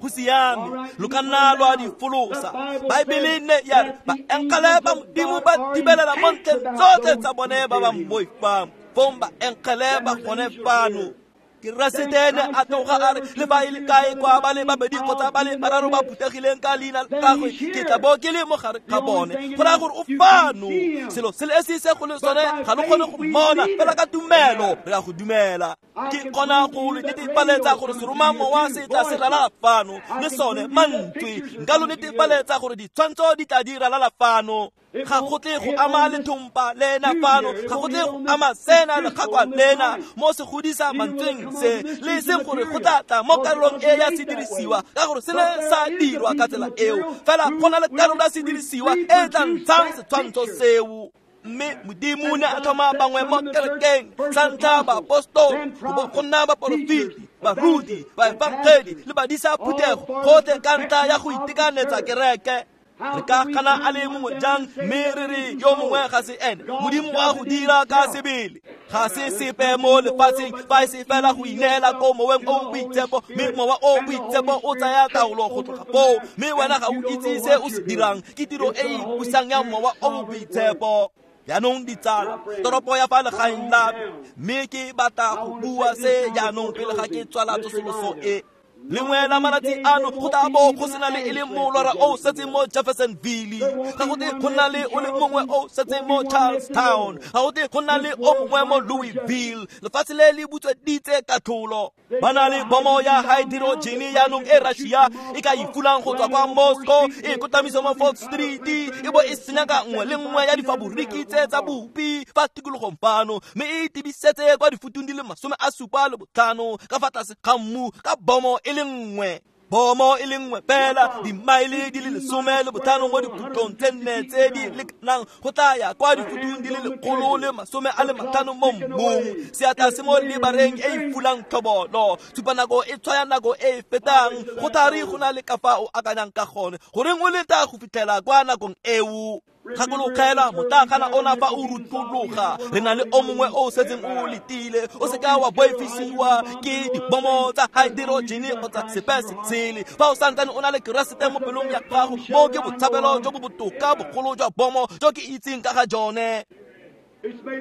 Go siame, lo ka nna lwa di folosa. Baebele ne ya re baengele ba Modimo ba thibelela mo ntlheng tsotlhe tsa bone ba ba mmoifang. Fong baengele ba gone fano. Keresete ne a tloga a re, le fa e le kae kwa ba le babedi kgotsa ba le bararo ba phuthegileng ka leina la gagwe, ke tla bo ke le mo gare ga bone. Go raya gore o fano. Selo se le esi se go le sone ga lo kgone go mmona, fela ka tumelo re a go dumela. Ke kgona go lo netefaletsa gore seromamowa se tla se ralala fano, le sone mantswe. Nka lo netefaletsa gore ditshwantsho di tla di ralala fano. Ga go tle go ama lethompa lena fano, ga go tle go ama sena lekgakwa lena mo se godisa mantsweng se, le seng gore go tla tla mo karolong e ya sedirisiwa, ka gore se ne sa dirwa ka tsela eo. Fela go na le karolo ya sedirisiwa e tla ntshang setshwantsho seo. Mme Modimo ne a tlhoma bangwe mo kerekeng, sa ntlha baapostolo, go bo go nna baporofeti, baruti, baefangedi le badisa phuthego, gotlhe ka ntlha ya go itekanetsa kereke. Re ka gana a le mongwe jang mme re re yo mongwe ga se ene? Modimo wa go dira ka sebele. Ga se sepe mo lefatsheng fa e se fela go ineela ko moweng o boitshepo, mme mowa o boitshepo o tsaya taolo go tloga foo, mme wena ga o itse se o se dirang. Ke tiro e e ipusang ya mowa o boitshepo. Jaanong ditsala, toropo ya fa legaeng la me, mme ke batla go bua se jaanong pele ga ke tswala tsosoloso e. Lengwe la malatsi ano go tla bo go sena le e le molora o setseng mo Jeffersonville, ga go tle go nna le o le mongwe o setseng mo Charlestown, ga go tle go nna le o mongwe mo Louisville. Lefatshe le le butsweditse katlholo. Ba na le bomo ya hydrogen jaanong e Russia e ka e fulang go tswa kwa Moscow, e kotamisa mo Fourth Street, e bo e senya ka nngwe le nngwe ya difaboriki tse tsa bopi fa tikologong fano, mme e tibisetse kwa difutung di le masome a supa le botlhano ka fa tlase ga mmu ka bomo e le nngwe. Bomo e le nngwe fela dimaele di le lesome le botlhano mo dikhutlong tse nne tse di lekanang go tla ya kwa dikutung di le lekgolo le masome a le matlhano mo mmung. Seatla se mo lebareng e e fulang tlhobolo. Tshupanako e tshwaya nako e e fetang. Go thari go na le ka fa o akanyang ka gone. Goreng o leta go fitlhela kwa nakong eo? Gakologela motlakgana ona fa o rutologa. Re na le o mongwe o setseng o letile. O seka wa boifisiwa ke dibomo tsa haeterojene kgotsa sepe se sele. Fa o santsane o na le Keresete mo pelong ya gago, mo ke botshabelo jo bo botoka bogolo jwa bomo jo ke itseng ka ga jone.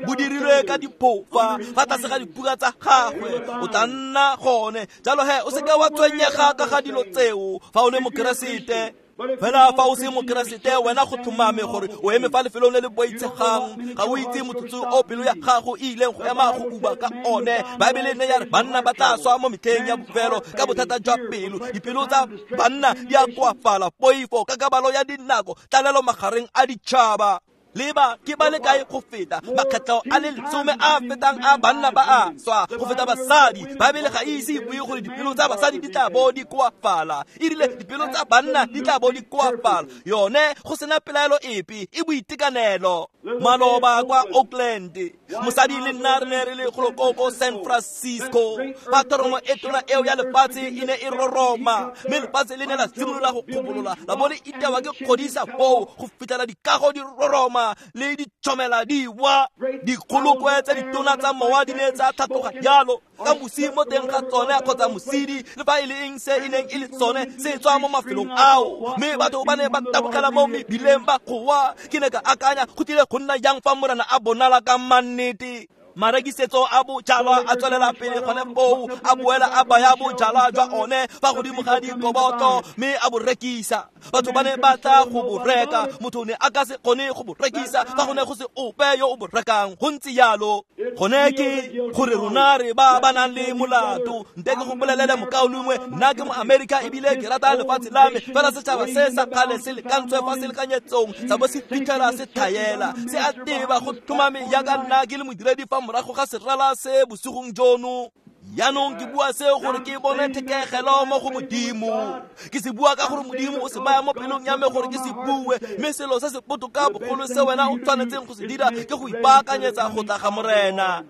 Bo dirilwe ka diphofa fa tlase ga dipuka tsa gagwe, o tla nna gone. Jalo he o seka wa tshwenyega ka ga dilo tseo fa o le Mokeresete. Fela fa o se Mokeresete, wena go tlhomame gore o eme fa lefelong le le boitshegang. Ga o itse motsotso o pelo ya gago e ileng go ema go uba ka one. Baebele ne ya re banna ba tla swa mo metlheng ya bofelo ka bothata jwa pelo. Dipelo tsa banna di a koafala, poifo, kakabalo ya dinako, tlalelo magareng a ditšhaba. Leba ke ba le kae go feta makgetlho a le lesome a fetang a banna ba a swa go feta basadi. Baebele ga e ise e bue gore dipelo tsa basadi di tla bo di koafala. E rile dipelo tsa banna di tla bo di koafala. Yone go sena pelaelo epe, e boitekanelo. Maloba kwa Oakland, mosadi le nna re ne re le golo ko San Francisco. Fa thoromo e tona eo ya lefatshe e ne e roroma, mme lefatshe le ne la simolola go kgobolola, la bo le itewa ke kgodisa foo go fitlhela dikago di roroma le ditšhomela di wa. Dikgolokwe tse ditona tsa mowa di ne tsa tlhatloga jalo ka mosi mo teng ga tsone kgotsa mosidi, le fa e le eng se e neng e le tsone se tswa mo mafelong ao. Mme batho ba ne ba tabogela mo mebileng ba goa. Ke ne ka akanya go tlile go nna jang fa Morena a bonala ka mannete. Marekisetso a bojalwa a tswelela pele gone foo, a boela a baya bojalwa jwa one fa godimo ga dikoboto mme a bo rekisa. Batho ba ne ba tla go bo reka, motho ne a ka se kgone go bo rekisa fa go ne go se ope yo o bo rekang. Go ntse jalo. Gone ke gore rona re ba ba nang le molato. Nte ke go bolelele mokaulengwe, nna ke mo-Amerika ebile ke rata lefatshe la me. Fela setšhaba se sa kgale se lekantswe fa se lekanyetsong sa bo se fitlhela se tlhaela. Se a teba go tlhomame jaaka nna ke le modiredi fa morago ga serala se bosigong jono. Jaanong ke bua seo gore ke bone thekegelo mo go Modimo. Ke se bua ka gore Modimo o se baya mo pelong ya me gore ke se bue. Mme selo se se botoka bogolo se wena o tshwanetseng go se dira ke go ipaakanyetsa go tla ga Morena.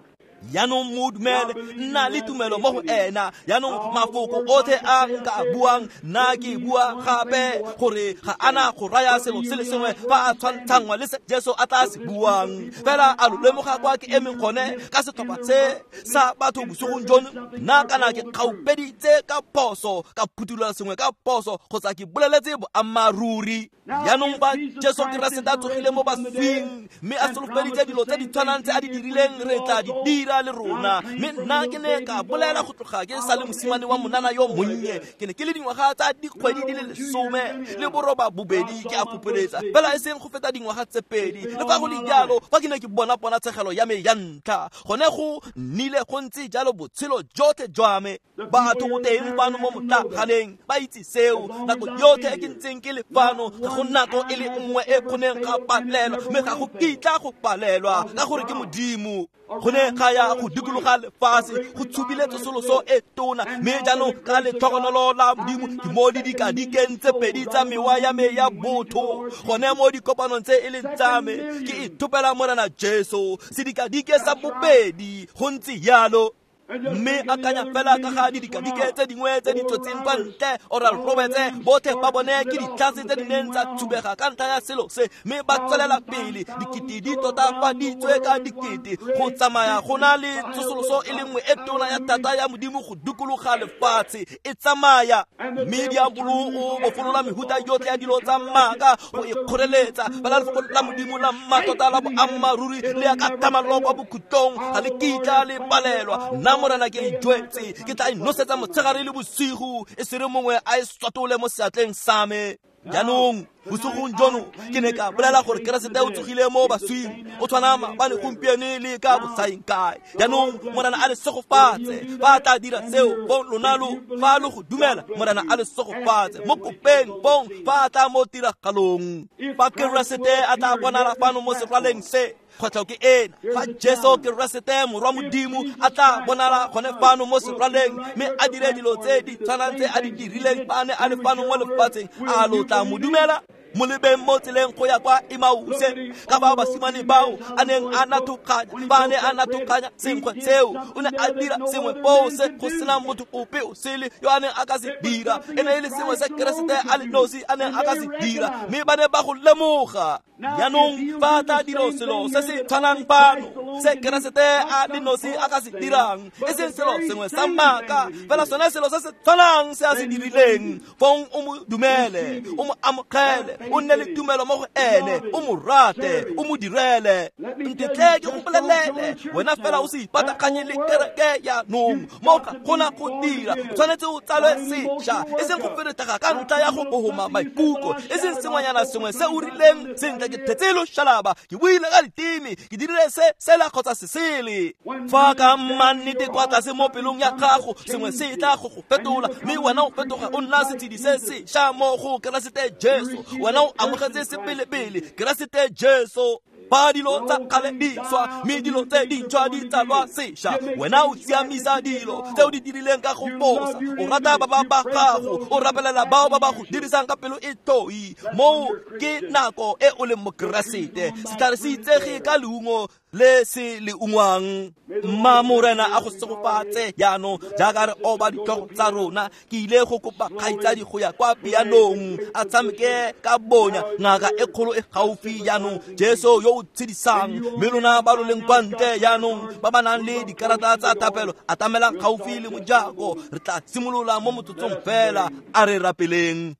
Jaanong mo dumele, nna le tumelo mo go ena. Jaanong mafoko otlhe a nka a buang, nna ke bua gape gore ga ana go raya selo se le sengwe fa a tshwantshangwa le se Jesu a tla se buang. Fela a lo lemoga kwa ke emeng gone ka setlhopha se sa batho bosigong jono? Nna kana ke kgaupeditse ka phoso, ka phuthulola sengwe ka phoso, kgotsa ke boleletse boammaaruri. Jaanong fa Jesu Keresete a tsogile mo baswing mme a solofeditse dilo tse di tshwanang tse a di dirileng, re tla di dira le rona. Mme nna ke ne ka bolela go tloga ke sa le mosimane wa monana yo monnye. Ke ne ke le dingwaga tsa dikgwedi di le lesome le boroba bobedi ke a fopeletsa, fela e seng go feta dingwaga tse pedi. Le fa go le jalo, fa ke ne ke bona ponatshegelo ya me ya ntlha, gone go nnile go ntse jalo botshelo jotlhe jwa me. Batho go teng fano mo motlaganeng ba itse seo. Nako yotlhe e ke ntseng ke le fano, ga go nako e le nngwe e kgoneng ga palelwa, mme ga go kitla go palelwa ka gore ke Modimo. Go ne ga ya go dikologa lefatshe, go tshubile tsosoloso e tona. Mme jaanong ka letlhogonolo la Modimo ke mo didikadikeng tse pedi tsa mewa ya me ya botho, gone mo dikopanong tse e leng tsa me, ke ithopela Morena Jesu. Sedikadike sa bobedi, go ntse jalo. Mme akanya fela ka ga didikadike tse dingwe tse di tswetseng kwa ntle. Oral Roberts, botlhe ba bone ke ditlhase tse di neng tsa thubega ka ntlha ya selo se, mme ba tswelela pele. Dikete di totafaditswe ka dikete go tsamaya go na le tsosoloso e le nngwe e tona ya thata ya Modimo go dikologa lefatshe e tsamaya. Mme diabolo o bofolola mehuta yotlhe ya dilo tsa maaka go e kgoreletsa. Fela lefoko la Modimo la mmatota la boammaaruri le ya ka thamallo kwa bokhutlong, ga le kitla le palelwa. Nna Morena ke e jwetse, ke tla e nosetsa motshegare le bosigo, e sere mongwe a e swatole mo seatleng sa me. Jaanong Bosigong jono ke ne ka bolela gore Keresete o tsogile mo baswing, o tshwana maabane, gompieno le ka bosaeng kae. Jaanong Morena a le segofatse. Fa a tla dira seo, fong lona lo fa lo go dumela, Morena a le segofatse. Mo kopeng fong fa a tla mo tiragalong. Fa Keresete a tla bonala fano mo seraleng se, kgwetlho ke ena. Fa Jesu Keresete morwa Modimo a tla bonala gone fano mo seraleng, mme a dire dilo tse di tshwanang tse a di dirileng fa a ne a le fano mo lefatsheng, a lo tla mo dumela? Mo lebeng mo tseleng go ya kwa Emause, ka ba basimane bao a neng a nathokganya, ba ne a nathokganya senkgwe seo, o ne a dira sengwe foo se go sena motho ope o sele yo a neng a ka se dira. E ne e le sengwe se Keresete a le nosi a neng a ka se dira, mme ba ne ba go lemoga. Jaanong fa a tla dira selo se se tshwanang fano se Keresete a le nosi a ka se dirang, e seng selo sengwe sa maaka, fela sone selo se se tshwanang se a se dirileng, fong o mo dumele, o mo amogele, o nne le tumelo mo go ene, o mo rate, o mo direle. Ntetle ke go bolelele, wena fela o se ipataganye le kereke jaanong. Mo ga gona go dira, o tshwanetse o tsalwe sešwa, e seng go feretega ka ntlha ya go bohoma maikutlo, e seng sengwenyana sengwe se o rileng sentle ke thetse loshalaba, ke buile ka diteme, ke dirile se sela kgotsa se sele. Fa ka mannete kwa tlase mo pelong ya gago sengwe se tla go go fetola, mme wena o fetoga o nna setshedi se sešwa mo go Keresete Jesu. Wena o amogetse sepelepele Keresete Jesu. Fa dilo tsa kgale di swa, mme dilo tse dintšhwa di tsalwa sešwa, wena o siamisa dilo tse o di dirileng ka go fosa. O rata ba ba ba gago, o rapelela bao ba ba go dirisang ka pelo e toi. Moo ke nako e o leng mokeresete. Setlhare se itsege ka leungo le se le ungwang. Mma Morena a go segofatse jaanong jaaka re oba ditlhogo tsa rona. Ke ile go kopa kgaitsadi go ya kwa pianong a tshameke ka bonya ngaka e kgolo e gaufi jaanong, Jesu yo o tshedisang. Mme lona ba lo leng kwa ntle jaanong ba ba nang le dikarata tsa thapelo, atamelang gaufi le mojako. Re tla simolola mo motsotsong fela. A re rapeleng.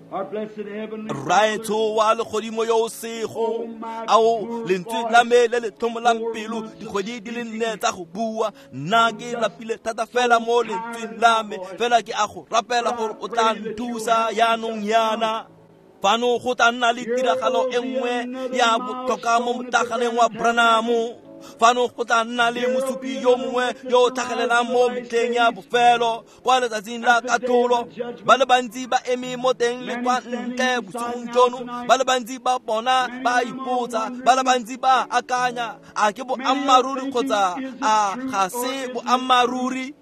Rraetsho wa legodimo yo o sego, ao lentswe la me le le tlhomolang pelo dikgwedi di le nne tsa go bua, nna ke lapile thata fela mo lentsweng la me, fela ke a go rapela gore o tla nthusa jaanong yana. Fano go tla nna le tiragalo e nngwe ya botlhokwa mo motlaganeng wa Branham. Fano go tla nna le mosupi yo mongwe yo o tlhagelelang mo metlheng ya bofelo kwa letsatsing la katlholo. Ba le bantsi ba eme mo teng le kwa ntle bosigong jono, ba le bantsi ba bona ba ipotsa, ba le bantsi ba akanya, a ke boammaaruri kgotsa a ga se boammaaruri?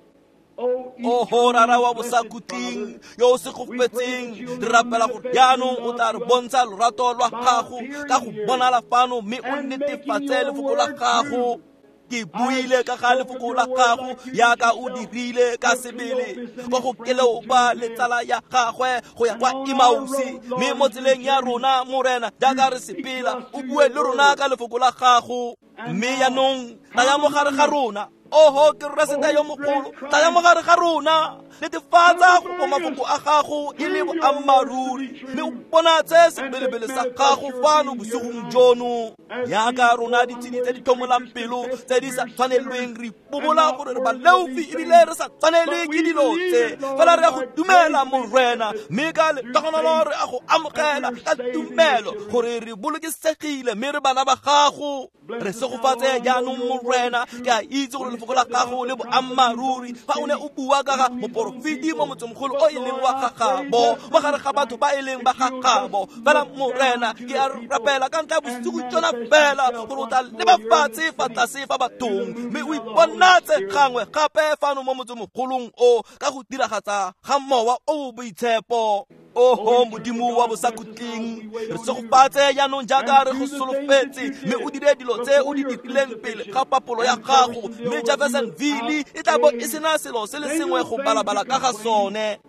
Oho Rara wa bosakhutleng yo o segofetseng, re rapela gore jaanong o tla re bontsha lorato lwa gago ka go bonala fano, mme o netefatse lefoko la gago. Ke buile ka ga lefoko la gago yaka o dirile ka sebele kwa go Keleopa le tsala ya gagwe go ya kwa Emause. Mme mo tseleng ya rona Morena, jaaka re sepela, o bue le rona ka lefoko la gago. Mme jaanong tlaya mo gare ga rona. Oho Keresete yo mogolo, tlaya mo gare ga rona, netefatsa go mafoko a gago e le boammaaruri, mme o bonatse sebelebele sa gago fano bosigong jono. Yaka rona ditshedi tse di tlhomolang pelo tse di sa tshwanelweng, re ipobola gore re baleofi ebile re sa tshwanelwe ke dilo tse, fela re a go dumela Morena, mme ka letogonolo re a go amogela ka tumelo gore re bolokesegile mme re bana ba gago. Re segofatse jaanong Morena. Ke a itse gore lefoko la gago le boammaaruri. Fa o ne o bua ka ga moporofeti mo motsemogolo o e leng wa gagabo, mo gare ga batho ba e leng ba gagabo, fela Morena ke a rapela ka ntlha ya bosigo jona fela gore o tla leba fatshe fa tlase fa bathong, mme o iponatse gangwe gape fano mo motsemogolong o ka go diragatsa ga Mowa o o Boitshepo. Oho Modimo wa bosakhutleng, re segofatse jaanong jaaka re go solofetse, mme o dire dilo tse o di dirileng pele ga papolo ya gago, mme Jeffersonville e tla bo e sena selo se le sengwe go balabala ka ga sone.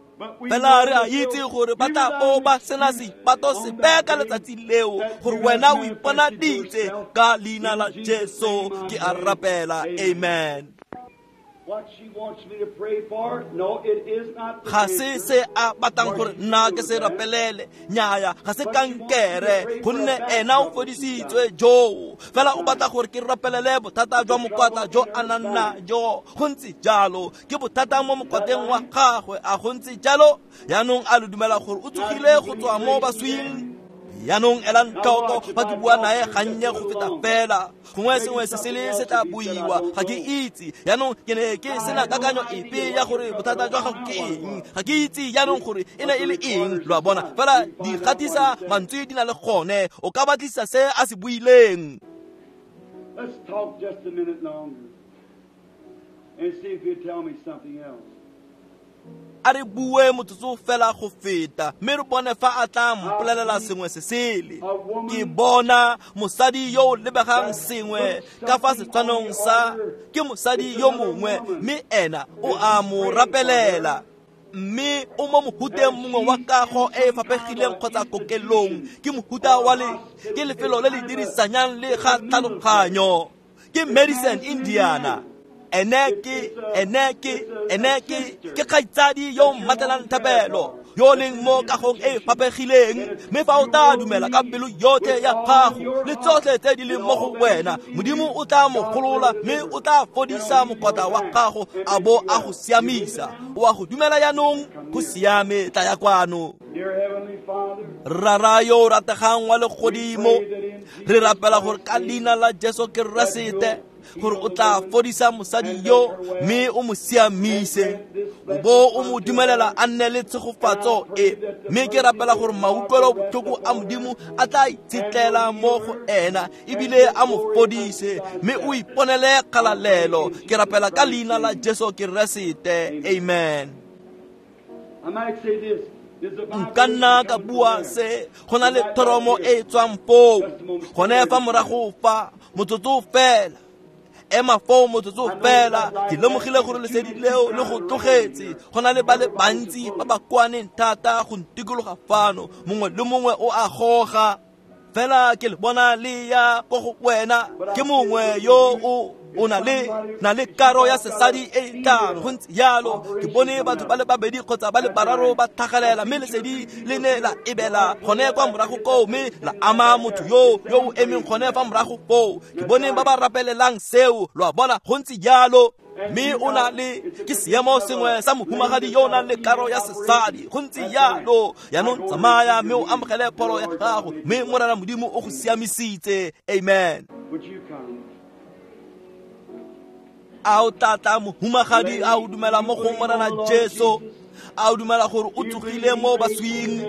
Fela re a itse gore ba tla bo ba sena seipato sepe ka letsatsi leo, gore wena o iponaditse. Ka leina la Jesu ke a rapela, amen. Ga se se a batlang gore nna ke se rapelele, nnyaya, ga se kankere, gonne ena o fodisitswe joo. Fela o batla gore ke rapelele bothata jwa mokwatla jo a nang najo. Go ntse jalo, ke bothata mo mokwatleng wa gagwe, a go ntse jalo? Jaanong a lo dumela gore o tsogile go tswa mo baswing? Jaanong elang tlhoko fa ke bua nae gannye go feta fela, gongwe sengwe se sele se tla buiwa, ga ke itse. Jaanong ke ne ke sena kakanyo epe ya gore bothata jwa gago ke eng, ga ke itse jaanong gore e ne e le eng, lo a bona. Fela di gatisa mantswe di na le gone, o ka batlisa se a se buileng. Let's talk just a minute longer and see if you'll tell me something else. A re bue motsotso fela go feta, mme re bone fa a tla mpolelela sengwe se sele. Ke bona mosadi yo o lebegang sengwe ka fa setshwanong sa, ke mosadi yo mongwe, mme ena o a mo rapelela. Mme o mo mohuteng mongwe wa kago e e faphegileng kgotsa kokelong, ke mohuta wa le, ke lefelo le le dirisanyang le ga tlhaloganyo, ke Madison, Indiana. Ene ke, ene ke, ene ke, ke kgaitsadi yo o mmatelang thapelo, yo o leng mo kagong e e faphegileng. Mme fa o tla dumela ka pelo yotlhe ya gago le tsotlhe tse di leng mo go wena, Modimo o tla mo golola mme o tla fodisa mokwatla wa gago a bo a go siamisa. O a go dumela jaanong? Go siame, tla ya kwano. Rara yo o rategang wa legodimo, re rapela gore ka leina la Jesu Keresete gore o tla fodisa mosadi yo mme o mo siamise, o bo o mo dumelela a nne le tshegofatso e. Mme ke rapela gore mautlwelo botlhoko a Modimo a tla itshetlela mo go ena ebile a mo fodise, mme o iponele kgalalelo. Ke rapela ka leina la Jesu Keresete, amen. Nka nna ka bua se, go na le thoromo e e tswang foo, gone fa morago fa, motsotso fela. Ema foo motsotso fela, ke lemogile gore lesedi leo le go tlogetse. Go na le ba le bantsi ba ba kwaneng thata go ntikologa fano, mongwe le mongwe o a goga. Fela ke le bona le ya ko go wena, ke mongwe yo o o na le na le karo ya sesadi e e tlang. Go ntse jalo, ke bone batho ba le babedi kgotsa ba le bararo ba tlhagelela, mme lesedi le ne la ebela gone kwa morago koo, mme la ama motho yo yo o emeng gone fa morago foo. Ke bone ba ba rapelelang seo, lo a bona, go ntse jalo. Mme o na le ke seemo sengwe sa mohumagadi yo o nang le karo ya sesadi, go ntse jalo. Jaanong tsamaya mme o amogele pholo ya gago, mme Morena Modimo o go siamisitse. Amen. A o tla tla mohumagadi, a o dumela mo go Morena Jesu? A o dumela gore o tsogile mo baswing?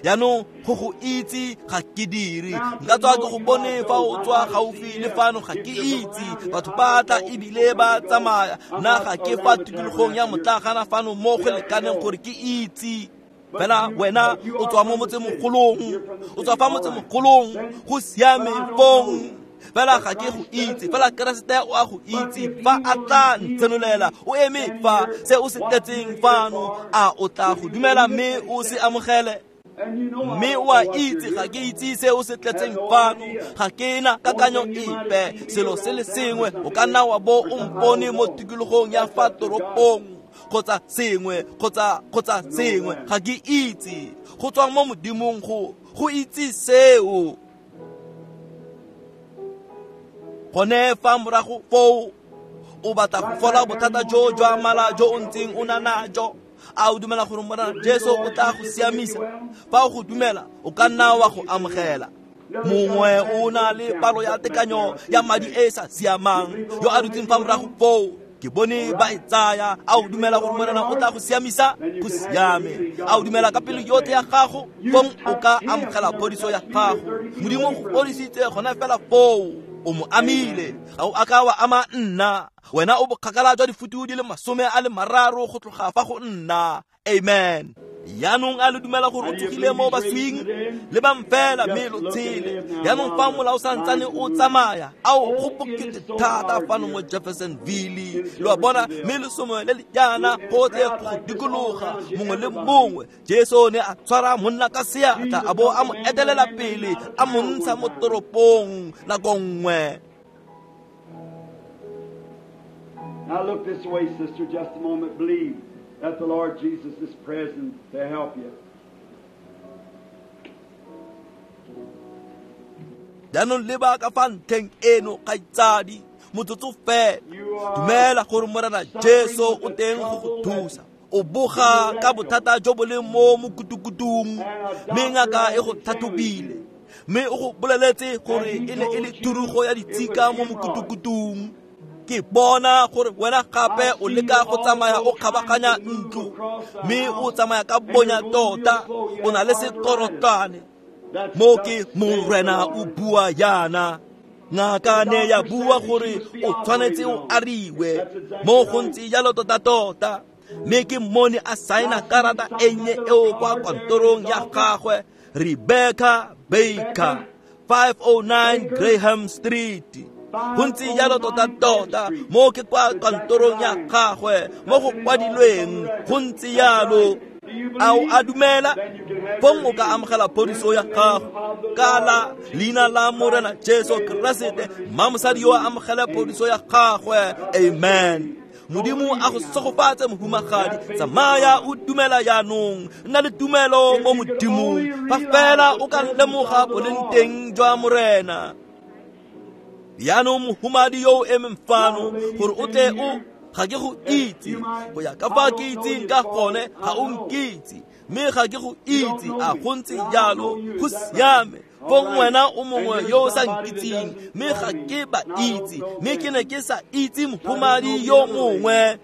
Jaanong go go itse ga ke dire, nka tswa ke go bone fa o tswa gaufi le fano, ga ke itse. Batho ba tla ebile ba tsamaya, nna ga ke fa tikologong ya motlagana fano mo go lekaneng gore ke itse. Fela wena o tswa mo motsemogolong, o tswa fa motsemogolong, go siame fong. Fela ga ke go itse, fela Keresete o a go itse. Fa a tla ntsenolela, o eme fa se o se tletseng fano, a o tla go dumela mme o se amogele? Mme o a itse ga ke itse se o se tletseng fano, ga ke na kakanyo epe. Selo se le sengwe, o ka nna wa bo o mpone mo tikologong ya fa toropong kgotsa sengwe, kgotsa kgotsa sengwe, ga ke itse. Go tswa mo Modimong go go itse seo. Gone fa morago foo, o batla go fola bothata jo jwa mala jo o ntseng o na najo. A o dumela gore Morena Jesu o tla go siamisa? Fa o go dumela, o ka nna wa go amogela. Mongwe o na le palo ya tekanyo ya madi e e sa siamang, yo a dutseng fa morago foo, ke bone ba e tsaya. A o dumela gore Morena o tla go siamisa? Go siame. A o dumela ka pelo yotlhe ya gago? Fong o ka amogela phodiso ya gago. Modimo o go fodisitse gona fela foo, o mo amile, ga o a ka wa ama nna. Wena o bokgakala jwa difutu di le masome a le mararo go tloga fa go nna. Amen. Jaanong a le dumela gore o tsogile mo baswing? Lebang fela mme lo tshele. Jaanong fa mola o santsane o tsamaya, ao go bokete thata fano mo Jeffersonville, lo a bona, mme lesomo le le jaana gotlhe go dikologa mongwe le mongwe. Jesu ne a tshwara monna ka seatla, a bo a mo etelela pele, a mo ntsha mo toropong nako nngwe. Now look this way, sister, just a moment. Believe that the Lord Jesus is present to help you. Jaanong leba ka fa ntlheng eno kgaitsadi motsotso fela dumela gore Morena Jesu o teng go go thusa. O boga ka bothata jo bo leng mo mokutukutung mme ngaka e go tlhatlhobile mme o go boleletse gore e ne e le thurugo ya ditshika mo mokutukutung. Ke bona gore wena gape o leka go tsamaya o kgabaganya ntlo mme o tsamaya ka bonya tota o na le sekorotlwane. Mo ke Morena o bua yana. Ngaka ne ya bua gore o tshwanetse o ariwe mo go ntse jalo tota-tota. Mme ke mmone a saena karata e nnye eo kwa kantorong ya gagwe, Rebecca Baker, five oh nine Graham Street. Go ntse jalo tota-tota mo ke kwa kantorong ya gagwe mo go kwadilweng go ntse jalo. A o a dumela? Fong o ka amogela phodiso ya gago ka la leina la Morena Jesu Keresete. Mma mosadi yo a amogele phodiso ya gagwe. Amen. Modimo a go segofatse mohumagadi. Tsamaya o dumela jaanong. Nna le tumelo mo Modimong. Fa fela o ka lemoga boleng teng jwa Morena. Jaanong mohumadi yo o emeng fano gore o tle o ga ke go itse go ya ka fa ke itseng ka gone ga o nkitse mme ga ke go itse a go ntse jalo go siame. Fong wena o mongwe yo o sa nkitseng mme ga ke ba itse mme ke ne ke sa itse mohumadi yo mongwe.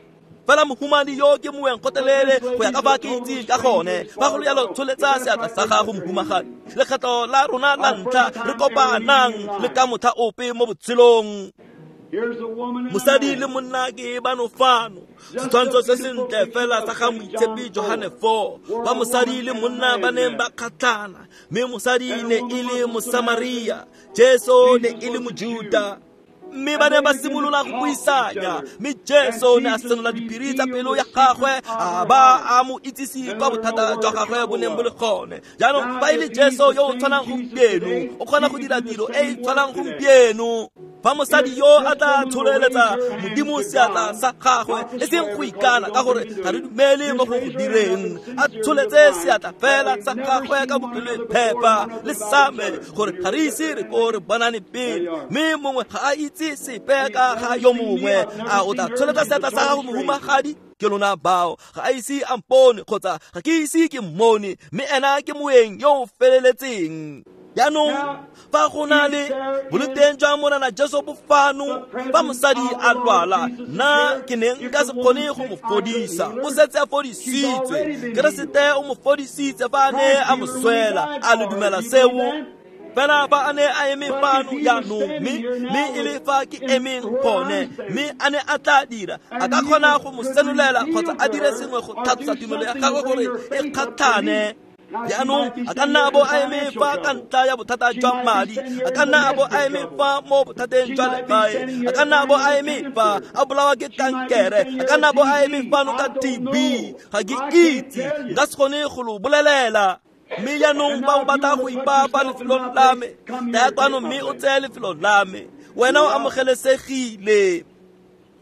Fela mohumadi yo ke moeng kgotelele go ya ka fa ke itseng ka gone. Fa go le jalo tsholetsa seatla sa gago mohumagadi. Lekgetho la rona la ntlha re kopanang le ka motlha ope mo botshelong. Mosadi le monna ke bano fano. Setshwantsho se sentle fela sa ga moitshepi Johane four ba mosadi le monna ba neng ba kgatlhana mme mosadi ne e le Mosamaria, Jesu ne e le Mojuta. Mme ba ne ba simolola go buisanya mme Jesu ne a senola diphiri tsa pelo ya gagwe a ba a mo itsise kwa bothata jwa gagwe bo neng bo le gone. Jaanong fa e le Jesu yo o tshwanang gompieno o kgona go dira tiro e e tshwanang gompieno. Fa mosadi yo a tla tsholeletsa Modimo seatla sa gagwe e seng go ikana ka gore ga re dumele mo go go direng, a tsholetse seatla fela sa gagwe ka bopelo phepa le same gore ga re ise re ko re bonane pele mme mongwe ga a itse sepe ka ga yo mongwe. A o tla tsholetsa seatla sa gago mohumagadi? Ke lona bao ga a ise a mpone kgotsa ga ke ise ke mmone mme ena ke moeng yo o feleletseng. Jaanong fa go na le boloteng jwa Morena Jesu bo fano fa mosadi a lwala nna ke ne nka se kgone go mo fodisa. O setse a fodisitswe. Keresete o mo fodisitse fa a ne a mo swela. A le dumela seo? Fela fa a ne a eme fano jaanong mme mme e le fa ke emeng gone mme a ne a tla dira a ka kgona go mo senolela kgotsa a dire sengwe go tlhatlosa tumelo ya gagwe gore e kgatlhane. Jaanong a ka nna a bo a eme fa ka ntlha ya bothata jwa madi, a ka nna a bo a eme fa mo bothateng jwa legae, a ka nna a bo a eme fa a bolawa ke kankere, a ka nna a bo a eme fano ka T B. Ga ke itse, nka se kgone go lo bolelela. Mme jaanong fa o batla go ipapa lefelong la me, tlaya kwano mme o tseye lefelo la me. Wena o amogelesegile.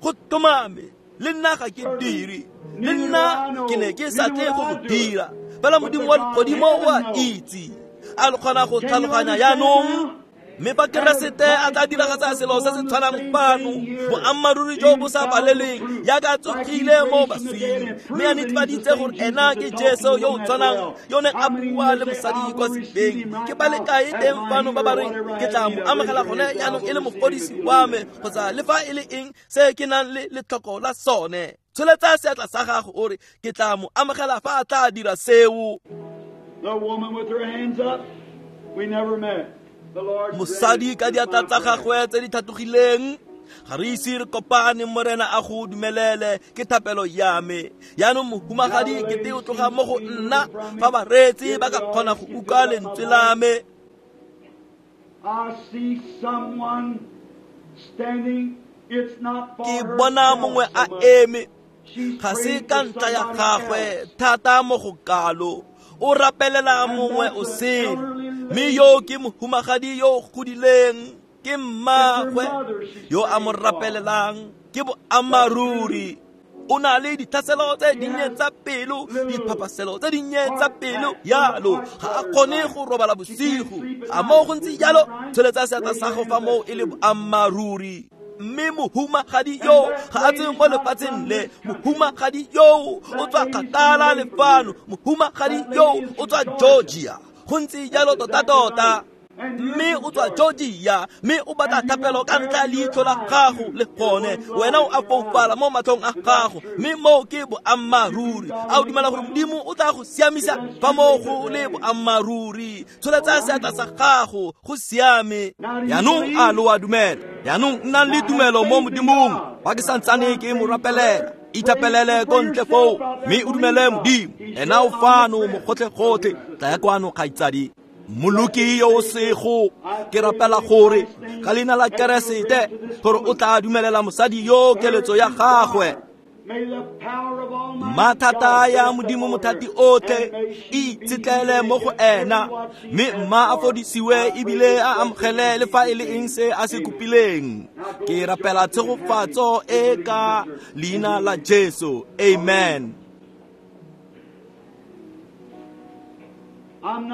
Go tlhomame le nna ga ke dire, le nna ke ne ke sa tle go go dira. Fela Modimo wa legodimo o a itse. A le kgona go tlhaloganya jaanong? Mme fa Keresete a tla diragatsa selo se se tshwanang fano, boammaaruri jo bo sa paleleng jaaka a tsogile mo baswing mme a netefaditse gore ena ke Jesu yo o tshwanang yo neng a bua le mosadi kwa sebeng. Ke ba le kae teng fano ba ba reng ke tla mo amogela gone jaanong e le mofodisi wa me kgotsa le fa e le eng se ke nang le letlhoko la sone? Tsholetsa seatla sa gago o re ke tla mo amogela fa a tla dira seo. The woman with her hands up, we never met. Mosadi ka diatla tsa gagwe tse di tlhatlogileng ga re ise re kopane. Morena a go dumelele ke thapelo ya me. Jaanong mohumagadi ke te o tloga mo go nna fa bareetsi ba ka kgona go utlwa lentswe la me. I see someone standing. It's not for Ke bona mongwe a eme ga se ka ntlha ya gagwe thata mo go kalo. O rapelela mongwe o sele mme yo ke mohumagadi yo o godileng. Ke mmagwe yo a mo rapelelang, ke boammaaruri. O na le ditlhaselo tse dinnye tsa pelo, diphapaselo tse dinnye tsa pelo yalo, ga a kgone go robala bosigo. A moo go ntse jalo, tsholetsa seatla sa gago fa moo e le boammaaruri. Mme mohumagadi yo ga a tswe mo lefatsheng le, mohumagadi yo o tswa kgakala le fano, mohumagadi yo o tswa Georgia. Go ntse jalo tota-tota. Mme o tswa Georgia, mme o batla thapelo ka ntlha ya leitlho la gago le gone. Wena o a foufala mo matlhong a gago, mme moo ke boammaaruri. A o dumela gore Modimo o tla go siamisa fa moo go le boammaaruri? Tsholetsa seatla sa gago, go siame. Jaanong a lo a dumela? Jaanong nnang le tumelo mo Modimong. Fa ke santsane ke mo rapelela, ithapelele ko ntle foo, mme o dumele Modimo. Ena o fano mo gotlhe-gotlhe. Tlaya kwano, kgaitsadi. Moloki yo o sego, ke rapela gore ka leina la Keresete gore o tla dumelela mosadi yo keletso ya gagwe. Mathata ya Modimo mothati otlhe e itshetlele mo go ena, mme mma a fodisiwe ebile a amogele le fa e le eng se a se kopileng. Ke rapela tshegofatso e ka leina la Jesu. Amen.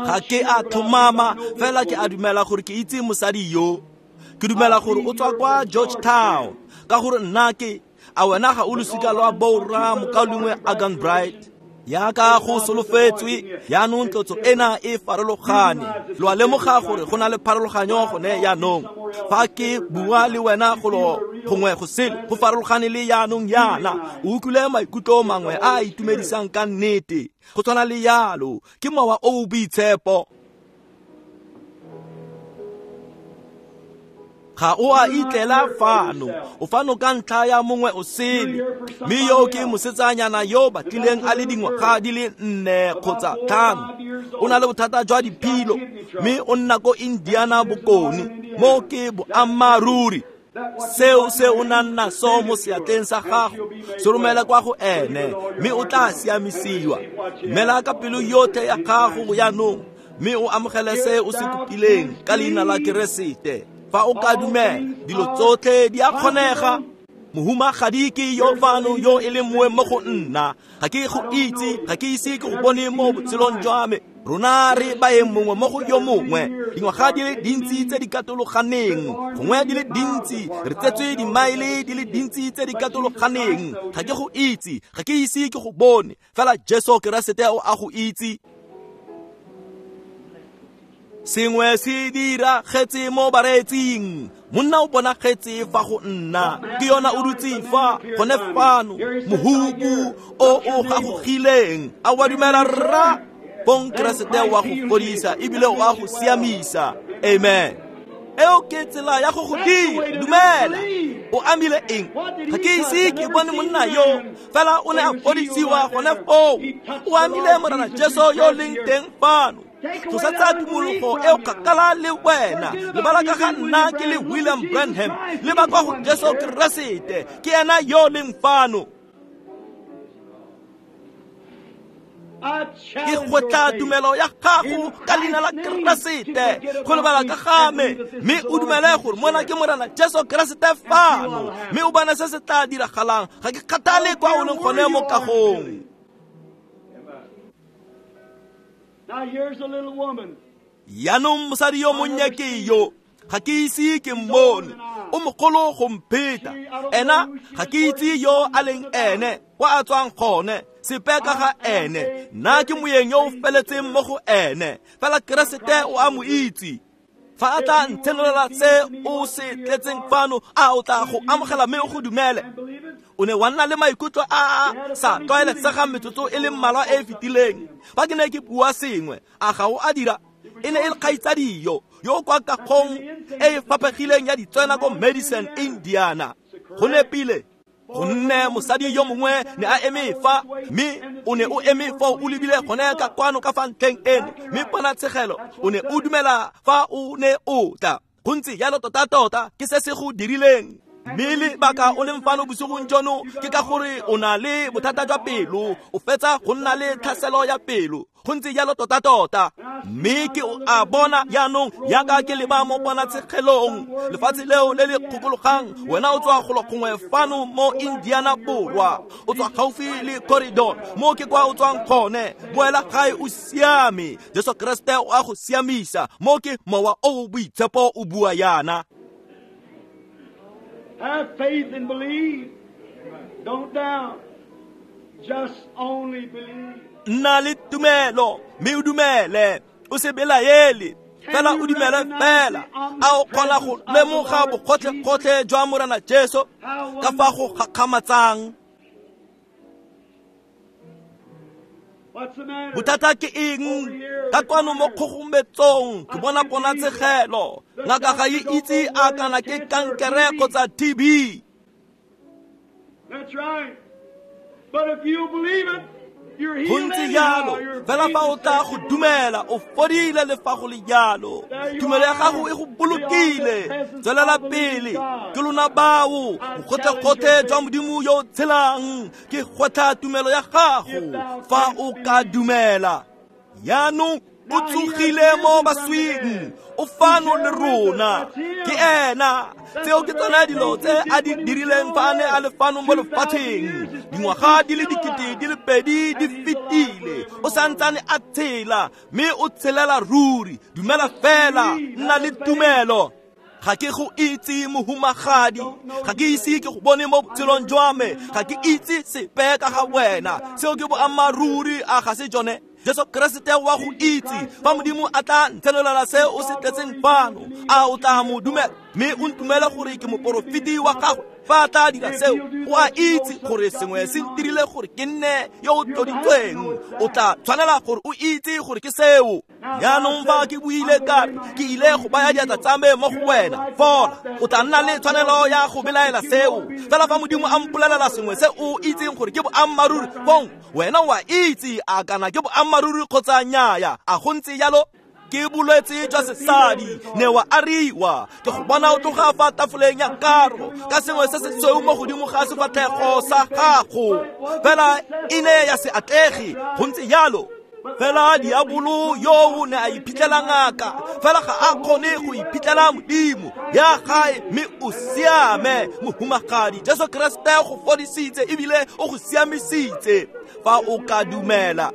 Ga ke a tlhomama, fela ke a dumela gore ke itse mosadi yo. Ke dumela gore o tswa kwa Georgetown, ka gore nna ke a wena ga o losika lwa borra mokaulengwe Agan Bright. Yaka go solofetswe, yaanong tlotso ena e farologane. Lo a lemoga gore go na le pharologanyo gone yaanong. Fa ke bua le wena golo gongwe go sele, go farologane le yaanong yana. O utlwile maikutlo mangwe a a itumedisang ka nnete. Go tshwana le yalo, ke mowa o o boitshepo. Ga o a itlela fano, o fano ka ntlha ya mongwe o sele. Mme yo ke mosetsanyana yo batlileng a le dingwaga di le nne kgotsa tlhano. O na le bothata jwa diphilo, mme o nna ko Indiana Bokone. Mo ke boammaaruri. Seo se o nang naso mo seatleng sa gago, se romele kwa go ene, mme o tla siamisiwa. Mela ka pelo yotlhe ya gago jaanong, mme o amogele se o se kopileng ka leina la Keresete. Fa o ka dumela, dilo tsotlhe di a kgonega. Mohumagadi ke yo fano yo e leng moeng mo go nna. Ga ke go itse, ga ke ise ke go bone mo botshelong jwa me. Rona re baeng mongwe mo go yo mongwe. Dingwaga di le dintsi tse di katologaneng, gongwe di le dintsi, re tsetswe dimaele di le dintsi tse di katologaneng. Ga ke go itse, ga ke ise ke go bone, fela Jesu Keresete o a go itse. Sengwe se diragetse mo bareetsing. Monna o bonagetse fa go nna. Ke yona o dutse fa gone fano, mohubu o o gagogileng. A wa dumela rra? Bong Keresete wa go fodisa ebile o a go siamisa. Amen. Eo ke tsela ya go go dira. Dumela. O amile eng? Ga ke ise ke bone monna yo, fela o ne a fodisiwa gone foo. O amile Morena Jesu yo leng teng fano. Tlosa tsa tumologo eo kgakala le wena. Lebala ka ga nna ke le William Branham, leba kwa go Jesu Keresete, ke ena yo leng fano. Ke gwetla tumelo ya gago ka leina la Keresete, go lebala ka ga me, mme o dumele gore mona ke Morena Jesu Keresete fano, mme o bone se se tla diragalang. Ga ke kgathale kwa o leng gone mo kagong. Now here's a little woman. Yaanong mosadi yo monnye ke yo, ga ke ise ke mmone. O mogolo go mpheta. Ena ga ke itse yo a leng ene, kwa a tswang gone, sepe ka ga ene. Nna ke moeng yo o feletseng mo go ene, fela Keresete o a mo itse. Fa a tla ntshenolela se o se tletseng fano, a o tla go amogela mme o go dumele? O ne wa nna le maikutlo a a sa tlwaelesegang metsotso e le mmalwa e e fetileng. Fa ke ne ke bua sengwe, a ga o a dira? E ne e le kgaitsadi yo, yo kwa kagong e e faphegileng ya ditswena ko Madison, Indiana. Go nepile. Gonne mosadi yo mongwe ne a eme fa, mme o ne o eme foo o lebile gone ka kwano ka fa ntlheng eno, mme ponatshegelo o ne o dumela fa o ne o tla. Go ntse jalo tota-tota ke se se go dirileng. Mme lebaka o leng fano bosigong jono ke ka gore o na le bothata jwa pelo, o fetsa go nna le tlhaselo ya pelo. Go ntse jalo tota-tota. Mme ke a bona jaanong jaaka ke leba mo ponatshegelong lefatshe leo le le kgokologang. Wena o tswa golo gongwe fano mo Indiana Borwa, o tswa gaufi le corridor mo ke kwa o tswang gone. Boela gae o siame, Jesu Kriste o a go siamisa. Mo ke mowa o o boitshepo o bua yana. Have faith and believe. Don't doubt. Just only believe. Nna le tumelo mme o dumele, o se belaele, fela o dumele fela. A o kgona go lemoga bogotlhe-gotlhe jwa Morena Jesu ka fa go gakgamatsang? Bothata ke eng? Ka kwano mo kgogometsong ke bona ponatshegelo. Ngaka ga e itse a kana ke kankere kgotsa T B. That's right. But if you believe it, Go ntse jalo, fela fa o tla go dumela, o fodile le fa go le jalo. Tumelo ya gago e go bolokile. Tswelela pele. Ke lona bao bogotlhe-gotlhe jwa Modimo yo o tshelang. Ke gwetlha tumelo ya gago fa o ka dumela. Jaanong o tsogile mo baswing, o fano le rona. Ke ena. Tseo ke tsona dilo tse a di dirileng fa a ne a le fano mo lefatsheng. Dingwaga di le dikete di le pedi di fetile, o santsane a tshela, mme o tshelela ruri. Dumela fela, nna le tumelo. Ga ke go itse mohumagadi, ga ke ise ke go bone mo botshelong jwa me, ga ke itse sepe ka ga wena. Seo ke boammaaruri, a ga se jone? Jesu Kriste wa go itse. Fa Modimo a tla ntshenolela se o se tletseng fano, a o tla mo dumela mme o ntumele gore ke moporofeti wa gagwe? Fa a tla dira seo, o a itse gore sengwe se ntirile gore ke nne yo o tloditsweng. O tla tshwanela gore o itse gore ke seo. Jaanong fa ke buile ka re ke ile go baya diatla tsa me mo go wena, fola, o tla nna le tshwanelo ya go belaela seo. Fela fa Modimo a mpolelela sengwe se o itseng gore ke boammaaruri, fong wena o a itse a kana ke boammaaruri kgotsa nnyaya. A go ntse jalo? Ke bolwetse jwa sesadi, ne wa ariwa. Ke go bona o tloga fa tafoleng ya karo ka sengwe se se sweu mo godimo ga sefatlhego sa gago, fela e ne ya se atlege. Go ntse jalo. Fela diabolo yo o ne a iphitlhela ngaka, fela ga a kgone go iphitlhela Modimo. Ya gae mme o siame, mohumagadi. Jesu Kriste go fodisitse ebile o go siamisitse fa o ka dumela.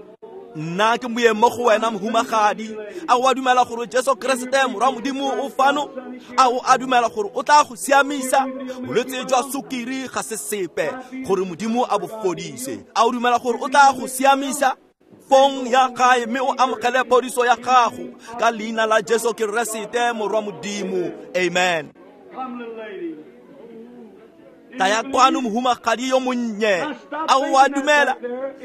Nna ke moeng mo go wena mohumagadi. A o a dumela gore Jesu Kriste morwa Modimo o fano? A o a dumela gore o tla go siamisa? Bolwetse jwa sukiri ga se sepe gore Modimo a bo fodise. A o dumela gore o tla go siamisa? Fong ya gae mme o amogele phodiso ya gago ka leina la Jesu Kriste morwa Modimo. Amen. Taya kwano mohumagadi yo monnye. A o a dumela?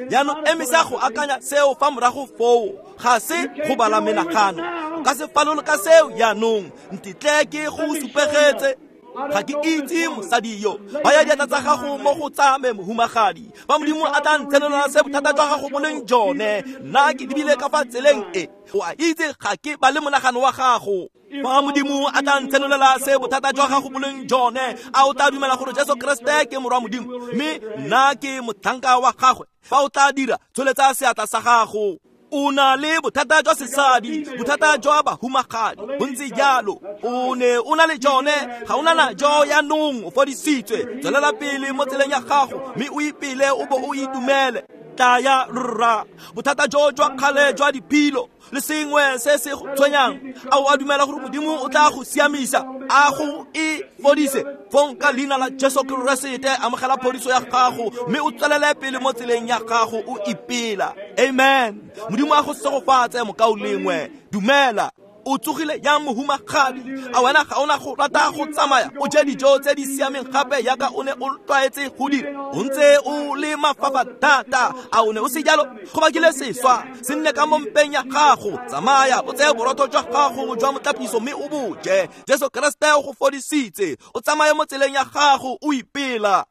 Jaanong emisa go akanya seo fa morago foo. Ga se go bala menagano. O ka se falole ka seo jaanong. Ntetle ke go supegetse. Ga ke itse mosadi yo. Baya diatla tsa gago mo go tsa me mohumagadi. Fa Modimo a tla ntshenolela se bothata jwa gago bo leng jone, nna ke lebile ka fa tseleng e. O a itse ga ke ba le monagano wa gago. Fa Modimo a tla ntshenolela se bothata jwa gago bo leng jone, a o tla dumela gore Jesu Kriste ke morwa Modimo, mme nna ke motlhanka wa gagwe? Fa o tla dira, tsholetsa seatla sa gago. O na le bothata jwa sesadi, bothata jwa bahumagadi. Go ntse jalo. O ne o na le jone, ga o na najo jaanong, o fodisitswe. Tswelela pele mo tseleng ya gago mme o ipele o bo o itumele. Tla ya rra. Bothata jo jwa kgale jwa diphilo le sengwe se se go tshwenyang, a o a dumela gore Modimo o tla go siamisa, a go e fodise? Fong ka leina la Jesu Kriste amogela phodiso ya gago mme o tswelele pele mo tseleng ya gago o ipela. Amen. Modimo a go segofatse mokaulengwe. Dumela. O tsogile yang mohumagadi? A wena ga ona go rata go tsamaya o je dijo tse di siameng gape yaka o ne o tlwaetse go dira? O ntse o le mafafa thata. A o ne o se jalo? Go bakile seswa se nne ka mo mpeng ya gago. Tsamaya o tseye borotho jwa gago jwa motlapiso mme o bo je. Jesu Kriste o go fodisitse. O tsamaye mo tseleng ya gago o ipela.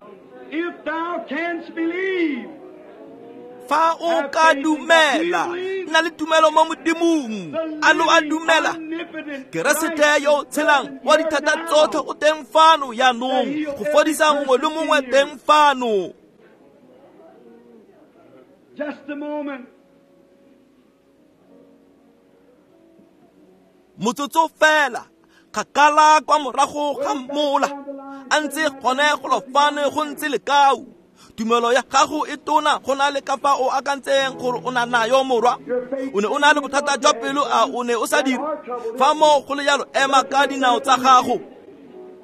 If thou canst believe. Fa o ka dumela, nna le tumelo mo Modimong. A lo a dumela? Keresete yo o tshelang wa dithata tsotlhe o teng fano jaanong go fodisa mongwe le mongwe teng fano. Just a moment. Motsotso fela, kgakala kwa morago ga mola, a ntse gone golo fano go ntse lekau. Tumelo ya gago e tona go na le ka fa o akantseng gore o na nayo morwa. O ne o na le bothata jwa pelo, a o ne o sa dire? Fa moo go le jalo, ema ka dinao tsa gago.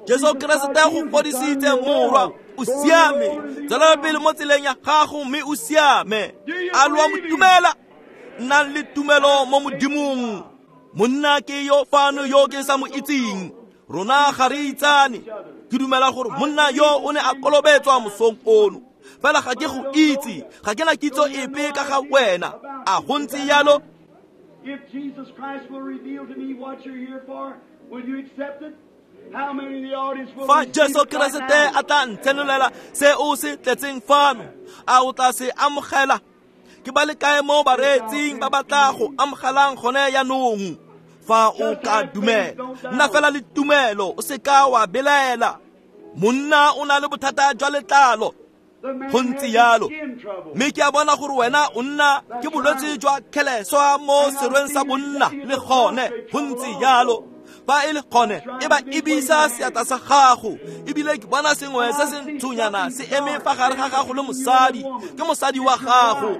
Jesu Keresete go fodisitse morwa, o siame. Tswelela pele mo tseleng ya gago mme o siame. A lo a mo dumela? Nnang le tumelo mo Modimong. Monna ke yo fano yo ke sa mo itseng. Rona ga re itsane. Ke dumela gore monna yo o ne a kolobetswa mosong ono. Fela ga ke go itse, ga ke na kitso epe ka ga wena. A go ntse jalo? If Jesus Christ will reveal to me what you're here for, will you accept it? How many in the audience will Fa receive Jesu it right Keresete now? a tla ntshenolela se o se tletseng fano, a o tla se amogela? Ke ba le kae mo bareetsing ba ba tla go amogelang gone jaanong? Fa o ka dumela, nna fela le tumelo, o se ka wa belaela. Monna o na le bothata jwa letlalo, The man go ntse has jalo. skin trouble. Mme ke a bona gore wena o nna ke bolwetse jwa kgeleswa mo serweng sa bonna le gone, go ntse jalo. Fa e le gone, e ba ebisa seatla sa gago, ebile ke bona sengwe se se ntshonyana se eme fa gare ga gago le mosadi, ke mosadi wa gago.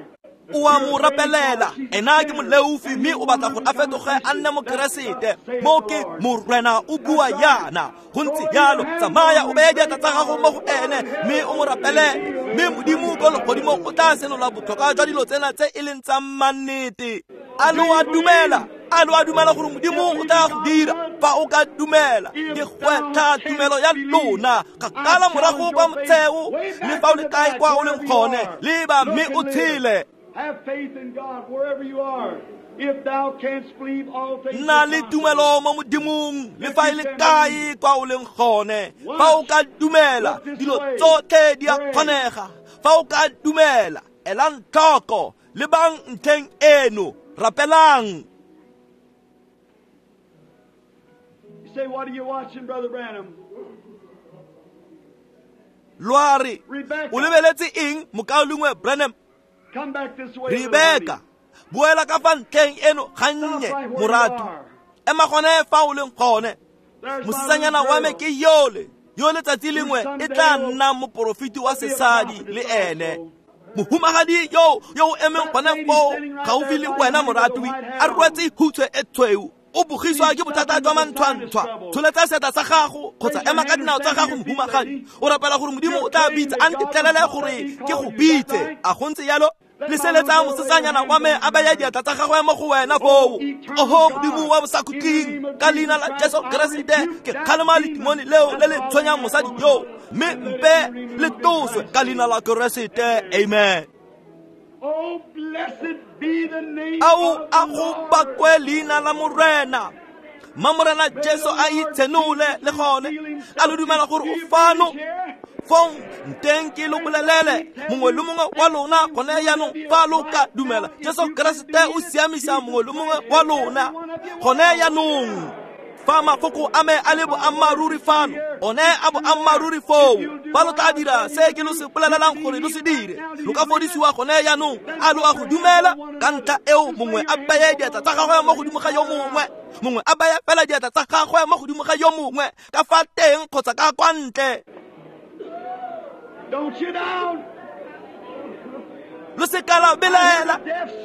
O a mo rapelela, ena ke moleofi mme o batla gore a fetoge a nne mokeresete. Mo ke Morena o bua yana, go ntse jalo. Tsamaya o beye diatla tsa gago mo go ene mme o mo rapelele, mme Modimo ko legodimong o tla senola botlhokwa jwa dilo tsena tse e leng tsa mannete. A lo a dumela? A lo a dumela gore Modimo o tla go dira? Fa o ka dumela, ke gwetlha tumelo ya lona. Kgakala morago kwa motsheo, le fa o le kae kwa o leng gone, leba mme o tshele. Have faith in God wherever you are. If thou canst believe, all things Nna are le possible. tumelo mo Modimong, le fa e le kae kwa o leng gone. Fa o ka dumela, dilo tsotlhe di a kgonega. Fa o ka dumela, elang tlhoko, lebang ntlheng eno, rapelang. You say, what are you watching, Brother Branham? Lo a re, Rebecca. o lebeletse eng, mokaulengwe Branham? Come back this way, little Rebecca, honey. boela ka fa ntlheng eno gannye, Stop right where you moratu. are. Ema gone fa o leng gone. There's my Mosetsanyana little wa me girl. ke yole, yo letsatsi lengwe e tla nna moporofeti wa sesadi le ene. Mohumagadi yo yo o emeng gone foo gaufi le wena moratwi, a rwetse hutshwe e tshweu, o bogiswa ke bothata jwa manthwanthwa. Tsholetsa seatla sa gago kgotsa ema ka dinao tsa gago mohumagadi. O rapela gore Modimo o tla bitsa, a ntetlelele gore ke go bitse. A go ntse jalo? Leseletsa mosetsanyana wa me a beye diatla tsa gagwe mo go wena foo. Oho Modimo wa bosakhutleng, ka leina la Jesu Keresete ke kgalema letimone leo le le tshwenyang mosadi yo, mme mpe le tloswe ka leina la Keresete. Amen. Oh, blessed be the name Ao of a the go Lord. bakwe leina la Morena. Mma Morena Jesu a itshenole le gone. A lo dumela gore o fano? Fong nteng ke lo bolelele, mongwe le mongwe wa lona gone jaanong, fa lo ka dumela, Jesu Keresete o siamisa mongwe le mongwe wa lona gone jaanong. Fa mafoko a me a le boammaaruri fano, one a boammaaruri foo. Fa lo tla dira se ke lo se bolelelang gore lo se dire, lo ka fodisiwa gone jaanong. A lo a go dumela? Ka ntlha eo mongwe a beye diatla tsa gagwe mo godimo ga yo mongwe, mongwe a beye fela diatla tsa gagwe mo godimo ga yo mongwe, ka fa teng kgotsa ka kwa ntle. Don't you down. Lo se ka la belaela.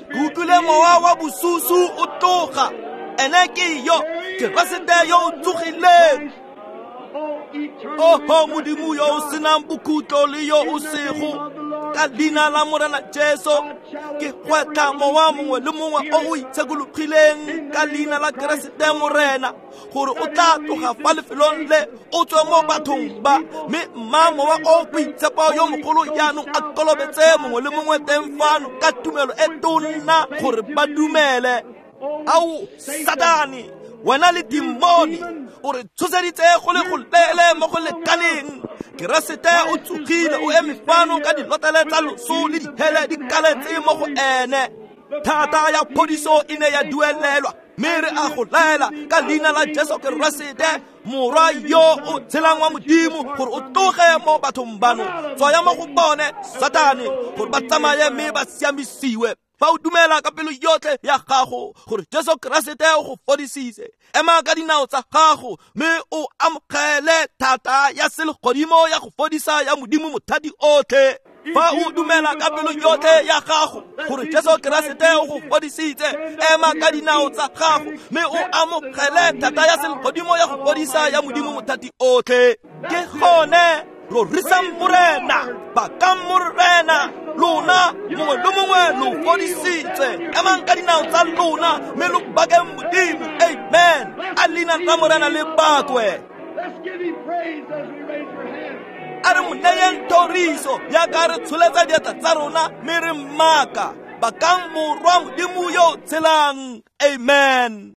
Ke utlwile mowa wa bosusu o tloga. Ene ke yo, Keresete yo o tsogileng. Oho Modimo yo o senang bokhutlo le yo o sego, ka leina la Morena Jesu ke gwetlha mowa mongwe le mongwe o o itshekologileng ka leina la Keresete Morena, gore o tla tloga fa lefelong le o tswe mo bathong ba, mme mma mowa o boitshepo yo mogolo jaanong a kolobetse mongwe le mongwe teng fano ka tumelo e tona gore ba dumele. Ao Satane, Wena le dimoni o re tshoseditse go le go leele mo go lekaneng. Keresete o tsogile, o eme fano ka dilotlele tsa loso le dihele di kaletse mo go ene. Thata ya phodiso e ne ya duelelwa, mme re a go laela ka leina la Jesu Keresete, morwa yo o tshelang wa Modimo, gore o tloge mo bathong bano. Tswaya mo go bone, Satane, gore ba tsamaye mme ba siamisiwe. Fa o dumela ka pelo yotlhe ya gago gore Jesu Keresete o go fodisitse, ema ka dinao tsa gago mme o amogele thata ya selegodimo ya go fodisa ya Modimo mothati otlhe. Fa o dumela ka pelo yotlhe ya gago gore Jesu Keresete o go fodisitse, ema ka dinao tsa gago mme o amogele thata ya selegodimo ya go fodisa ya Modimo mothati otlhe. Ke gone rorisang Morena, bakang Morena, lona mongwe le mongwe lo fodisitswe. Emang ka dinao tsa lona mme lo bakeng Modimo. Amen. A leina la Morena le bakwe. Let's give him praise as we raise our hands. A re mo neyeng thoriso jaaka re tsholetsa diatla tsa rona mme re mmaka. Bakang morwa Modimo yo o tshelang. Amen.